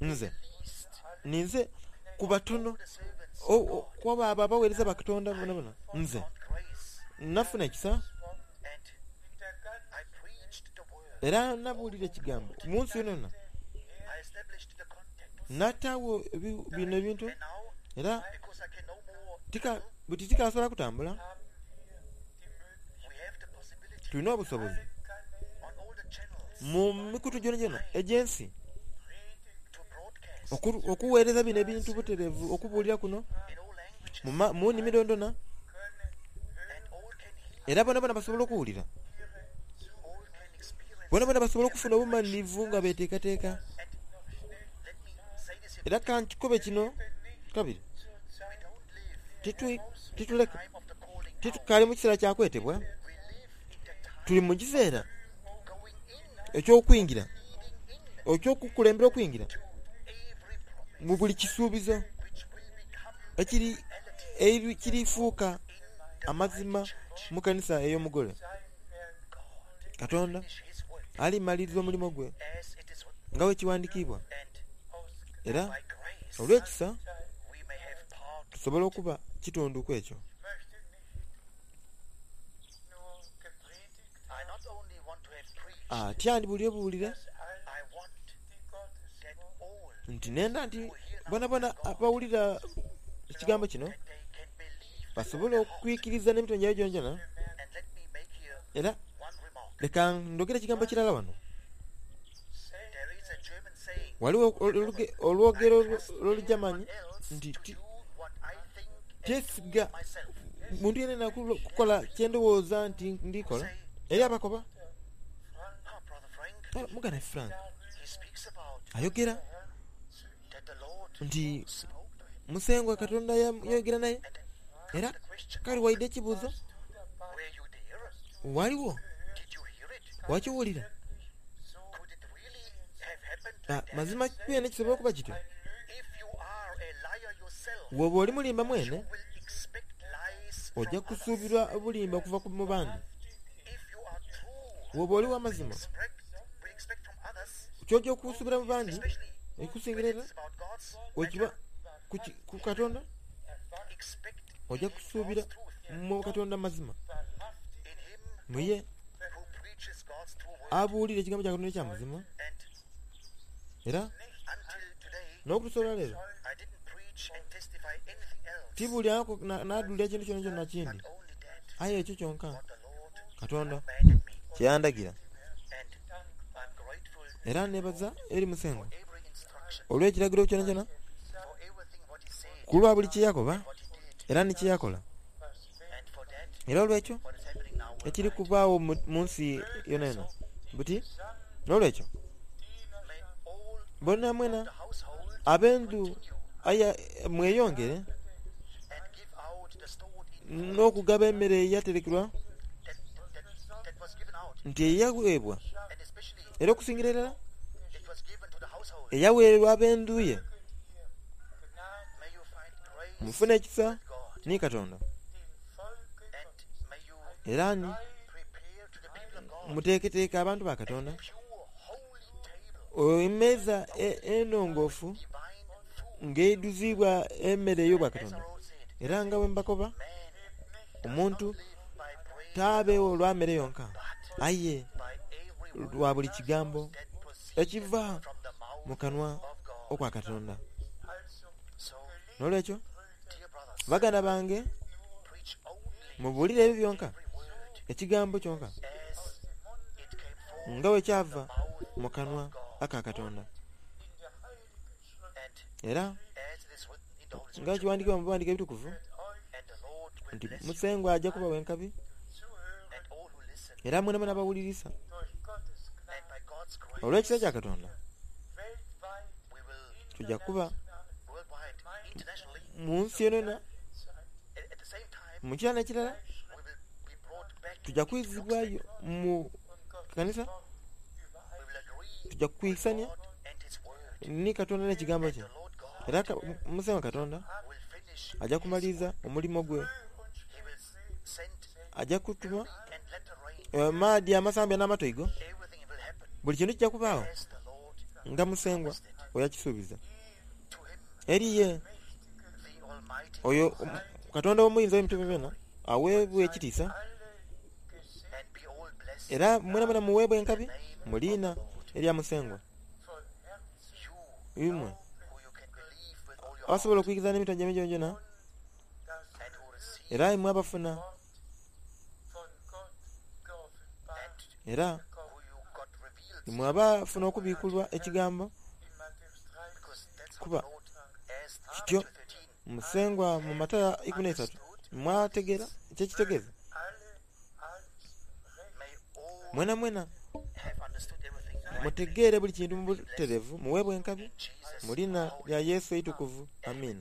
[SPEAKER 2] I
[SPEAKER 1] nze
[SPEAKER 2] least
[SPEAKER 1] ninze ku batono
[SPEAKER 2] the servants
[SPEAKER 1] o- o- kwaba abo abaweereza ba Katonda bonabona nze
[SPEAKER 2] on grace
[SPEAKER 1] nafuna ekisa
[SPEAKER 2] and
[SPEAKER 3] in der ganzen
[SPEAKER 2] I preached the word
[SPEAKER 1] era nabuulira ekigambo mu nsi yonayona
[SPEAKER 2] I established the context
[SPEAKER 1] nataawo ebi- bino ebintu
[SPEAKER 2] and now
[SPEAKER 1] era
[SPEAKER 2] because I can no more
[SPEAKER 1] tika buti tikasobola kutambula
[SPEAKER 3] haben wir die Möglichkeit,
[SPEAKER 2] we have the possibility
[SPEAKER 1] tulina obusobozi
[SPEAKER 3] alle Kanäle
[SPEAKER 2] on all the channels
[SPEAKER 1] mu mikutu gyona gyona egy'ensi
[SPEAKER 3] predigt
[SPEAKER 2] to broadcast
[SPEAKER 1] oku- okuweereza bino ebintu butereevu okubuulira kuno
[SPEAKER 2] in all languages
[SPEAKER 1] mu ma- mu nnimi dondona
[SPEAKER 3] können hören
[SPEAKER 2] and all can hear
[SPEAKER 1] era bona bona basobole okuwulira
[SPEAKER 3] ihre
[SPEAKER 2] all can experience
[SPEAKER 1] bona bona basobole okufuna obumalirivu nga beteekateeka
[SPEAKER 2] and let me say this here
[SPEAKER 1] era kankikobe kino kabiri
[SPEAKER 3] zur Zeit
[SPEAKER 2] we don't live
[SPEAKER 1] Titu- tituleka
[SPEAKER 2] time of the calling out
[SPEAKER 1] titukaali mu kiseera kyakwetebwa
[SPEAKER 2] we live in the time
[SPEAKER 1] tuli mu kiseera
[SPEAKER 2] going in
[SPEAKER 1] eky'okuyingira
[SPEAKER 2] leading in
[SPEAKER 1] ekyokukulembera okuyingira
[SPEAKER 2] to every promise
[SPEAKER 1] Mu buli kisuubizo
[SPEAKER 2] which will become
[SPEAKER 1] ekiri
[SPEAKER 2] reality
[SPEAKER 1] eri kirifuuka
[SPEAKER 2] in the
[SPEAKER 1] amazima
[SPEAKER 2] bride church.
[SPEAKER 1] mu kanisa ey'omugole.
[SPEAKER 2] God
[SPEAKER 1] Katonda
[SPEAKER 2] finish his work
[SPEAKER 1] alimaliriza omulimu gwe
[SPEAKER 2] as it is written,
[SPEAKER 1] nga bwe kiwandiikibwa,
[SPEAKER 2] and
[SPEAKER 1] era
[SPEAKER 2] by grace
[SPEAKER 1] olw'ekisa
[SPEAKER 2] we may have part.
[SPEAKER 1] tusobole okuba kitundu ku ekyo.
[SPEAKER 3] Möchte nicht nur gepredigt
[SPEAKER 2] I not only want to have preached,
[SPEAKER 1] Atya ndi buwulire
[SPEAKER 3] dass alle
[SPEAKER 2] I want
[SPEAKER 3] die Gottes
[SPEAKER 2] that all
[SPEAKER 1] nti nenda nti bonabona abawulira ekigambo kino
[SPEAKER 2] that they can believe
[SPEAKER 1] basobole okwikiriza n'emitima gyabwe gyongyona.
[SPEAKER 2] And let me make here
[SPEAKER 1] Era
[SPEAKER 2] one remark.
[SPEAKER 1] leka ndogere ekigambo kirala wano.
[SPEAKER 2] There is a German saying,
[SPEAKER 1] Waliwo oluge- olwogero
[SPEAKER 2] I trust
[SPEAKER 1] lw'Olujamanyi
[SPEAKER 2] everyone else
[SPEAKER 1] nti
[SPEAKER 2] to
[SPEAKER 1] ti-
[SPEAKER 2] do what I think and
[SPEAKER 1] tyesiga
[SPEAKER 2] do myself.
[SPEAKER 1] muntu yenna kukola kyendowooza nti ndikola. Eri abakoba
[SPEAKER 2] Ah, Brother Frank,
[SPEAKER 1] "Ah, muganda Frank
[SPEAKER 2] he speaks about
[SPEAKER 1] ayogera
[SPEAKER 2] that the Lord
[SPEAKER 1] nti
[SPEAKER 2] spoke to him.
[SPEAKER 1] musengwa Katonda ya- yayogera naye."
[SPEAKER 2] And then
[SPEAKER 1] Era
[SPEAKER 2] the question,
[SPEAKER 1] kale waidde ekibuuzo,
[SPEAKER 2] were you there?
[SPEAKER 1] waliwo
[SPEAKER 2] Did you hear it?
[SPEAKER 1] wakiwulira?
[SPEAKER 2] Could it really have happened
[SPEAKER 1] Ah,
[SPEAKER 2] like that?
[SPEAKER 1] mazima kyene kisobola okuba kityo.
[SPEAKER 2] If you are a liar yourself,
[SPEAKER 1] Bw'oba oli mulimba
[SPEAKER 2] you
[SPEAKER 1] mwene
[SPEAKER 2] will expect lies
[SPEAKER 1] ojja
[SPEAKER 2] from others.
[SPEAKER 1] kusuubirwa obulimba okuva ku mu bandi.
[SPEAKER 2] If you are true,
[SPEAKER 1] Bw'oba oli w'amazima
[SPEAKER 2] expect, we expect from others,
[SPEAKER 1] ky'ojja okusuubira mu bandi
[SPEAKER 2] especially when
[SPEAKER 1] ekusingira era
[SPEAKER 2] it's about God's
[SPEAKER 1] wekiba
[SPEAKER 2] matter,
[SPEAKER 1] ku ki- ku Katonda
[SPEAKER 2] expect
[SPEAKER 1] ojja
[SPEAKER 2] in him
[SPEAKER 1] kusuubira
[SPEAKER 2] God's truth,
[SPEAKER 1] mu Katonda mazima,
[SPEAKER 2] in him
[SPEAKER 1] mu ye
[SPEAKER 2] who preaches God's true word.
[SPEAKER 1] abuulira ekigambo kya Katonda ekyamazima.
[SPEAKER 2] And
[SPEAKER 1] Era
[SPEAKER 2] until today,
[SPEAKER 1] n'okutusobola leero
[SPEAKER 2] I didn't preach and testify anything else,
[SPEAKER 1] tibuulirako n'aduulira kintu kyonna kyonna kindi,
[SPEAKER 2] but only that
[SPEAKER 1] aye ekyo kyonka
[SPEAKER 2] what the Lord
[SPEAKER 1] Katonda
[SPEAKER 2] commanded me.
[SPEAKER 1] kye yandagira.
[SPEAKER 2] And I'm grateful
[SPEAKER 1] Era neebaza eri Musengwa
[SPEAKER 2] for every instruction,
[SPEAKER 1] olw'ekiragiro kyonna kyonna,
[SPEAKER 2] for everything what he said,
[SPEAKER 1] ku lwa buli kye yakoba
[SPEAKER 2] what he did,
[SPEAKER 1] era ne kye yakola.
[SPEAKER 2] and for that,
[SPEAKER 1] Era olw'ekyo
[SPEAKER 2] what is happening now
[SPEAKER 1] ekiri
[SPEAKER 2] worldwide.
[SPEAKER 1] kubaawo mu mu nsi yonna yonna buti n'olwekyo
[SPEAKER 2] May all
[SPEAKER 1] bonna mwena
[SPEAKER 2] the household
[SPEAKER 1] ab'endu
[SPEAKER 2] continue
[SPEAKER 1] aya mweyongere
[SPEAKER 2] and give out the stored in
[SPEAKER 1] n'okugaba emmere eyaterekerwa
[SPEAKER 2] that, that, that was given out,
[SPEAKER 1] nti eyaweebwa,
[SPEAKER 2] and especially
[SPEAKER 1] era okusingira irala
[SPEAKER 2] it was given to the household.
[SPEAKER 1] eyaweerwa ab'endu ye.
[SPEAKER 2] May you find grace
[SPEAKER 1] Mufune ekisa
[SPEAKER 2] with God,
[SPEAKER 1] ni Katonda,
[SPEAKER 2] and may you
[SPEAKER 1] era ni
[SPEAKER 2] prepare to the people of God
[SPEAKER 1] muteeketeeke abantu ba Katonda
[SPEAKER 2] pure, holy table,
[SPEAKER 1] emmeeza e- ennongoofu
[SPEAKER 2] divine food.
[SPEAKER 1] ng'eiduzibwa emmere ey'obwa
[SPEAKER 2] As
[SPEAKER 1] Katonda.
[SPEAKER 2] our Lord said,
[SPEAKER 1] Era nga bwe mbakoba,
[SPEAKER 2] man does
[SPEAKER 1] omuntu
[SPEAKER 2] not live by bread
[SPEAKER 1] taabeewo olwa mmere yonka,
[SPEAKER 2] but
[SPEAKER 1] aye
[SPEAKER 2] by every word
[SPEAKER 1] lwa buli kigambo
[SPEAKER 2] that proceedeth
[SPEAKER 1] ekiva
[SPEAKER 2] from the mouth
[SPEAKER 1] mu kanwa
[SPEAKER 2] of God.
[SPEAKER 1] okwa Katonda.
[SPEAKER 2] So,
[SPEAKER 1] N'olwekyo
[SPEAKER 2] dear brothers,
[SPEAKER 1] baganda bange,
[SPEAKER 2] preach only
[SPEAKER 1] mubuulire ebyo byonka,
[SPEAKER 2] every word
[SPEAKER 1] ekigambo kyonka
[SPEAKER 2] as it came forth
[SPEAKER 1] nga bwe kyava
[SPEAKER 2] from the mouth
[SPEAKER 1] mu kanwa
[SPEAKER 2] of God.
[SPEAKER 1] aka Katonda,
[SPEAKER 2] And
[SPEAKER 1] era
[SPEAKER 2] as it is written in the Holy
[SPEAKER 1] nga
[SPEAKER 2] Scripture,
[SPEAKER 1] kiwandiikibwa mu biwandiiko ebitukuvu
[SPEAKER 2] and the Lord will
[SPEAKER 1] nti
[SPEAKER 2] bless you
[SPEAKER 1] Musengwa ajja kubawa enkabi,
[SPEAKER 2] and all who listen,
[SPEAKER 1] era mwena mwena abawulirisa
[SPEAKER 2] and by God's grace
[SPEAKER 1] olw'ekisa kya Katonda
[SPEAKER 2] we will
[SPEAKER 1] tujja kuba
[SPEAKER 2] worldwide, internationally,
[SPEAKER 1] mu nsi yonna
[SPEAKER 2] at, at the same time,
[SPEAKER 1] mu kirala n'ekirala
[SPEAKER 2] we will be brought back
[SPEAKER 1] tujja
[SPEAKER 2] into
[SPEAKER 1] kwizibwayo
[SPEAKER 2] lockstep.
[SPEAKER 1] mu kanisa,
[SPEAKER 2] We will agree
[SPEAKER 1] tujja
[SPEAKER 2] with
[SPEAKER 1] kwisania
[SPEAKER 2] God and His word.
[SPEAKER 1] ni Katonda n'ekigambo
[SPEAKER 2] And
[SPEAKER 1] kye.
[SPEAKER 2] the Lord God
[SPEAKER 1] Era ka- Musengwa Katonda
[SPEAKER 2] will finish
[SPEAKER 1] ajja
[SPEAKER 2] His
[SPEAKER 1] kumaliriza
[SPEAKER 2] work.
[SPEAKER 1] omulimu gwe,
[SPEAKER 2] He will send
[SPEAKER 1] ajja kutuma
[SPEAKER 2] early and latter rain.
[SPEAKER 1] amaadi amasambya n'amatoigo,
[SPEAKER 2] Everything will happen
[SPEAKER 1] buli kintu kijja kubaawo
[SPEAKER 2] as the Lord
[SPEAKER 1] nga Musengwa
[SPEAKER 2] promised it.
[SPEAKER 1] bwe yakisuubiza.
[SPEAKER 2] To him,
[SPEAKER 1] Eri ye
[SPEAKER 2] the Almighty
[SPEAKER 1] oyo
[SPEAKER 2] God,
[SPEAKER 1] om- Katonda omuyinza w'ebintu byonna aweebwa ekitiisa,
[SPEAKER 2] and be all blessed
[SPEAKER 1] era mwena mwena muweebwa enkabi
[SPEAKER 2] in the name
[SPEAKER 1] mu
[SPEAKER 2] of the
[SPEAKER 1] liina
[SPEAKER 2] Lord.
[SPEAKER 1] erya Musengwa.
[SPEAKER 2] You
[SPEAKER 1] Imwe
[SPEAKER 2] who you can believe with all your
[SPEAKER 1] abasobola
[SPEAKER 2] heart
[SPEAKER 1] okuyigiriza n'emitima gyammwe gyonna,
[SPEAKER 2] and who receive
[SPEAKER 1] era imwe abafuna,
[SPEAKER 2] and
[SPEAKER 1] era
[SPEAKER 2] who you got revealed,
[SPEAKER 1] imwe abafuna okubiikulwa ekigambo,
[SPEAKER 2] because that's how
[SPEAKER 1] kuba
[SPEAKER 2] the Lord asked
[SPEAKER 1] kityo
[SPEAKER 2] Matthew thirteen.
[SPEAKER 1] Musengwa mu Matayo ikumi n'esatu mwategeera kyekitegeeza.
[SPEAKER 2] May all
[SPEAKER 1] Mwena mwena
[SPEAKER 2] have understood everything right.
[SPEAKER 1] mutegeere buli kintu mu butereevu, muweebwe enkabi
[SPEAKER 2] In Jesus'
[SPEAKER 1] mu linnya
[SPEAKER 2] holy
[SPEAKER 1] lya Yesu eitukuvu. Amiina.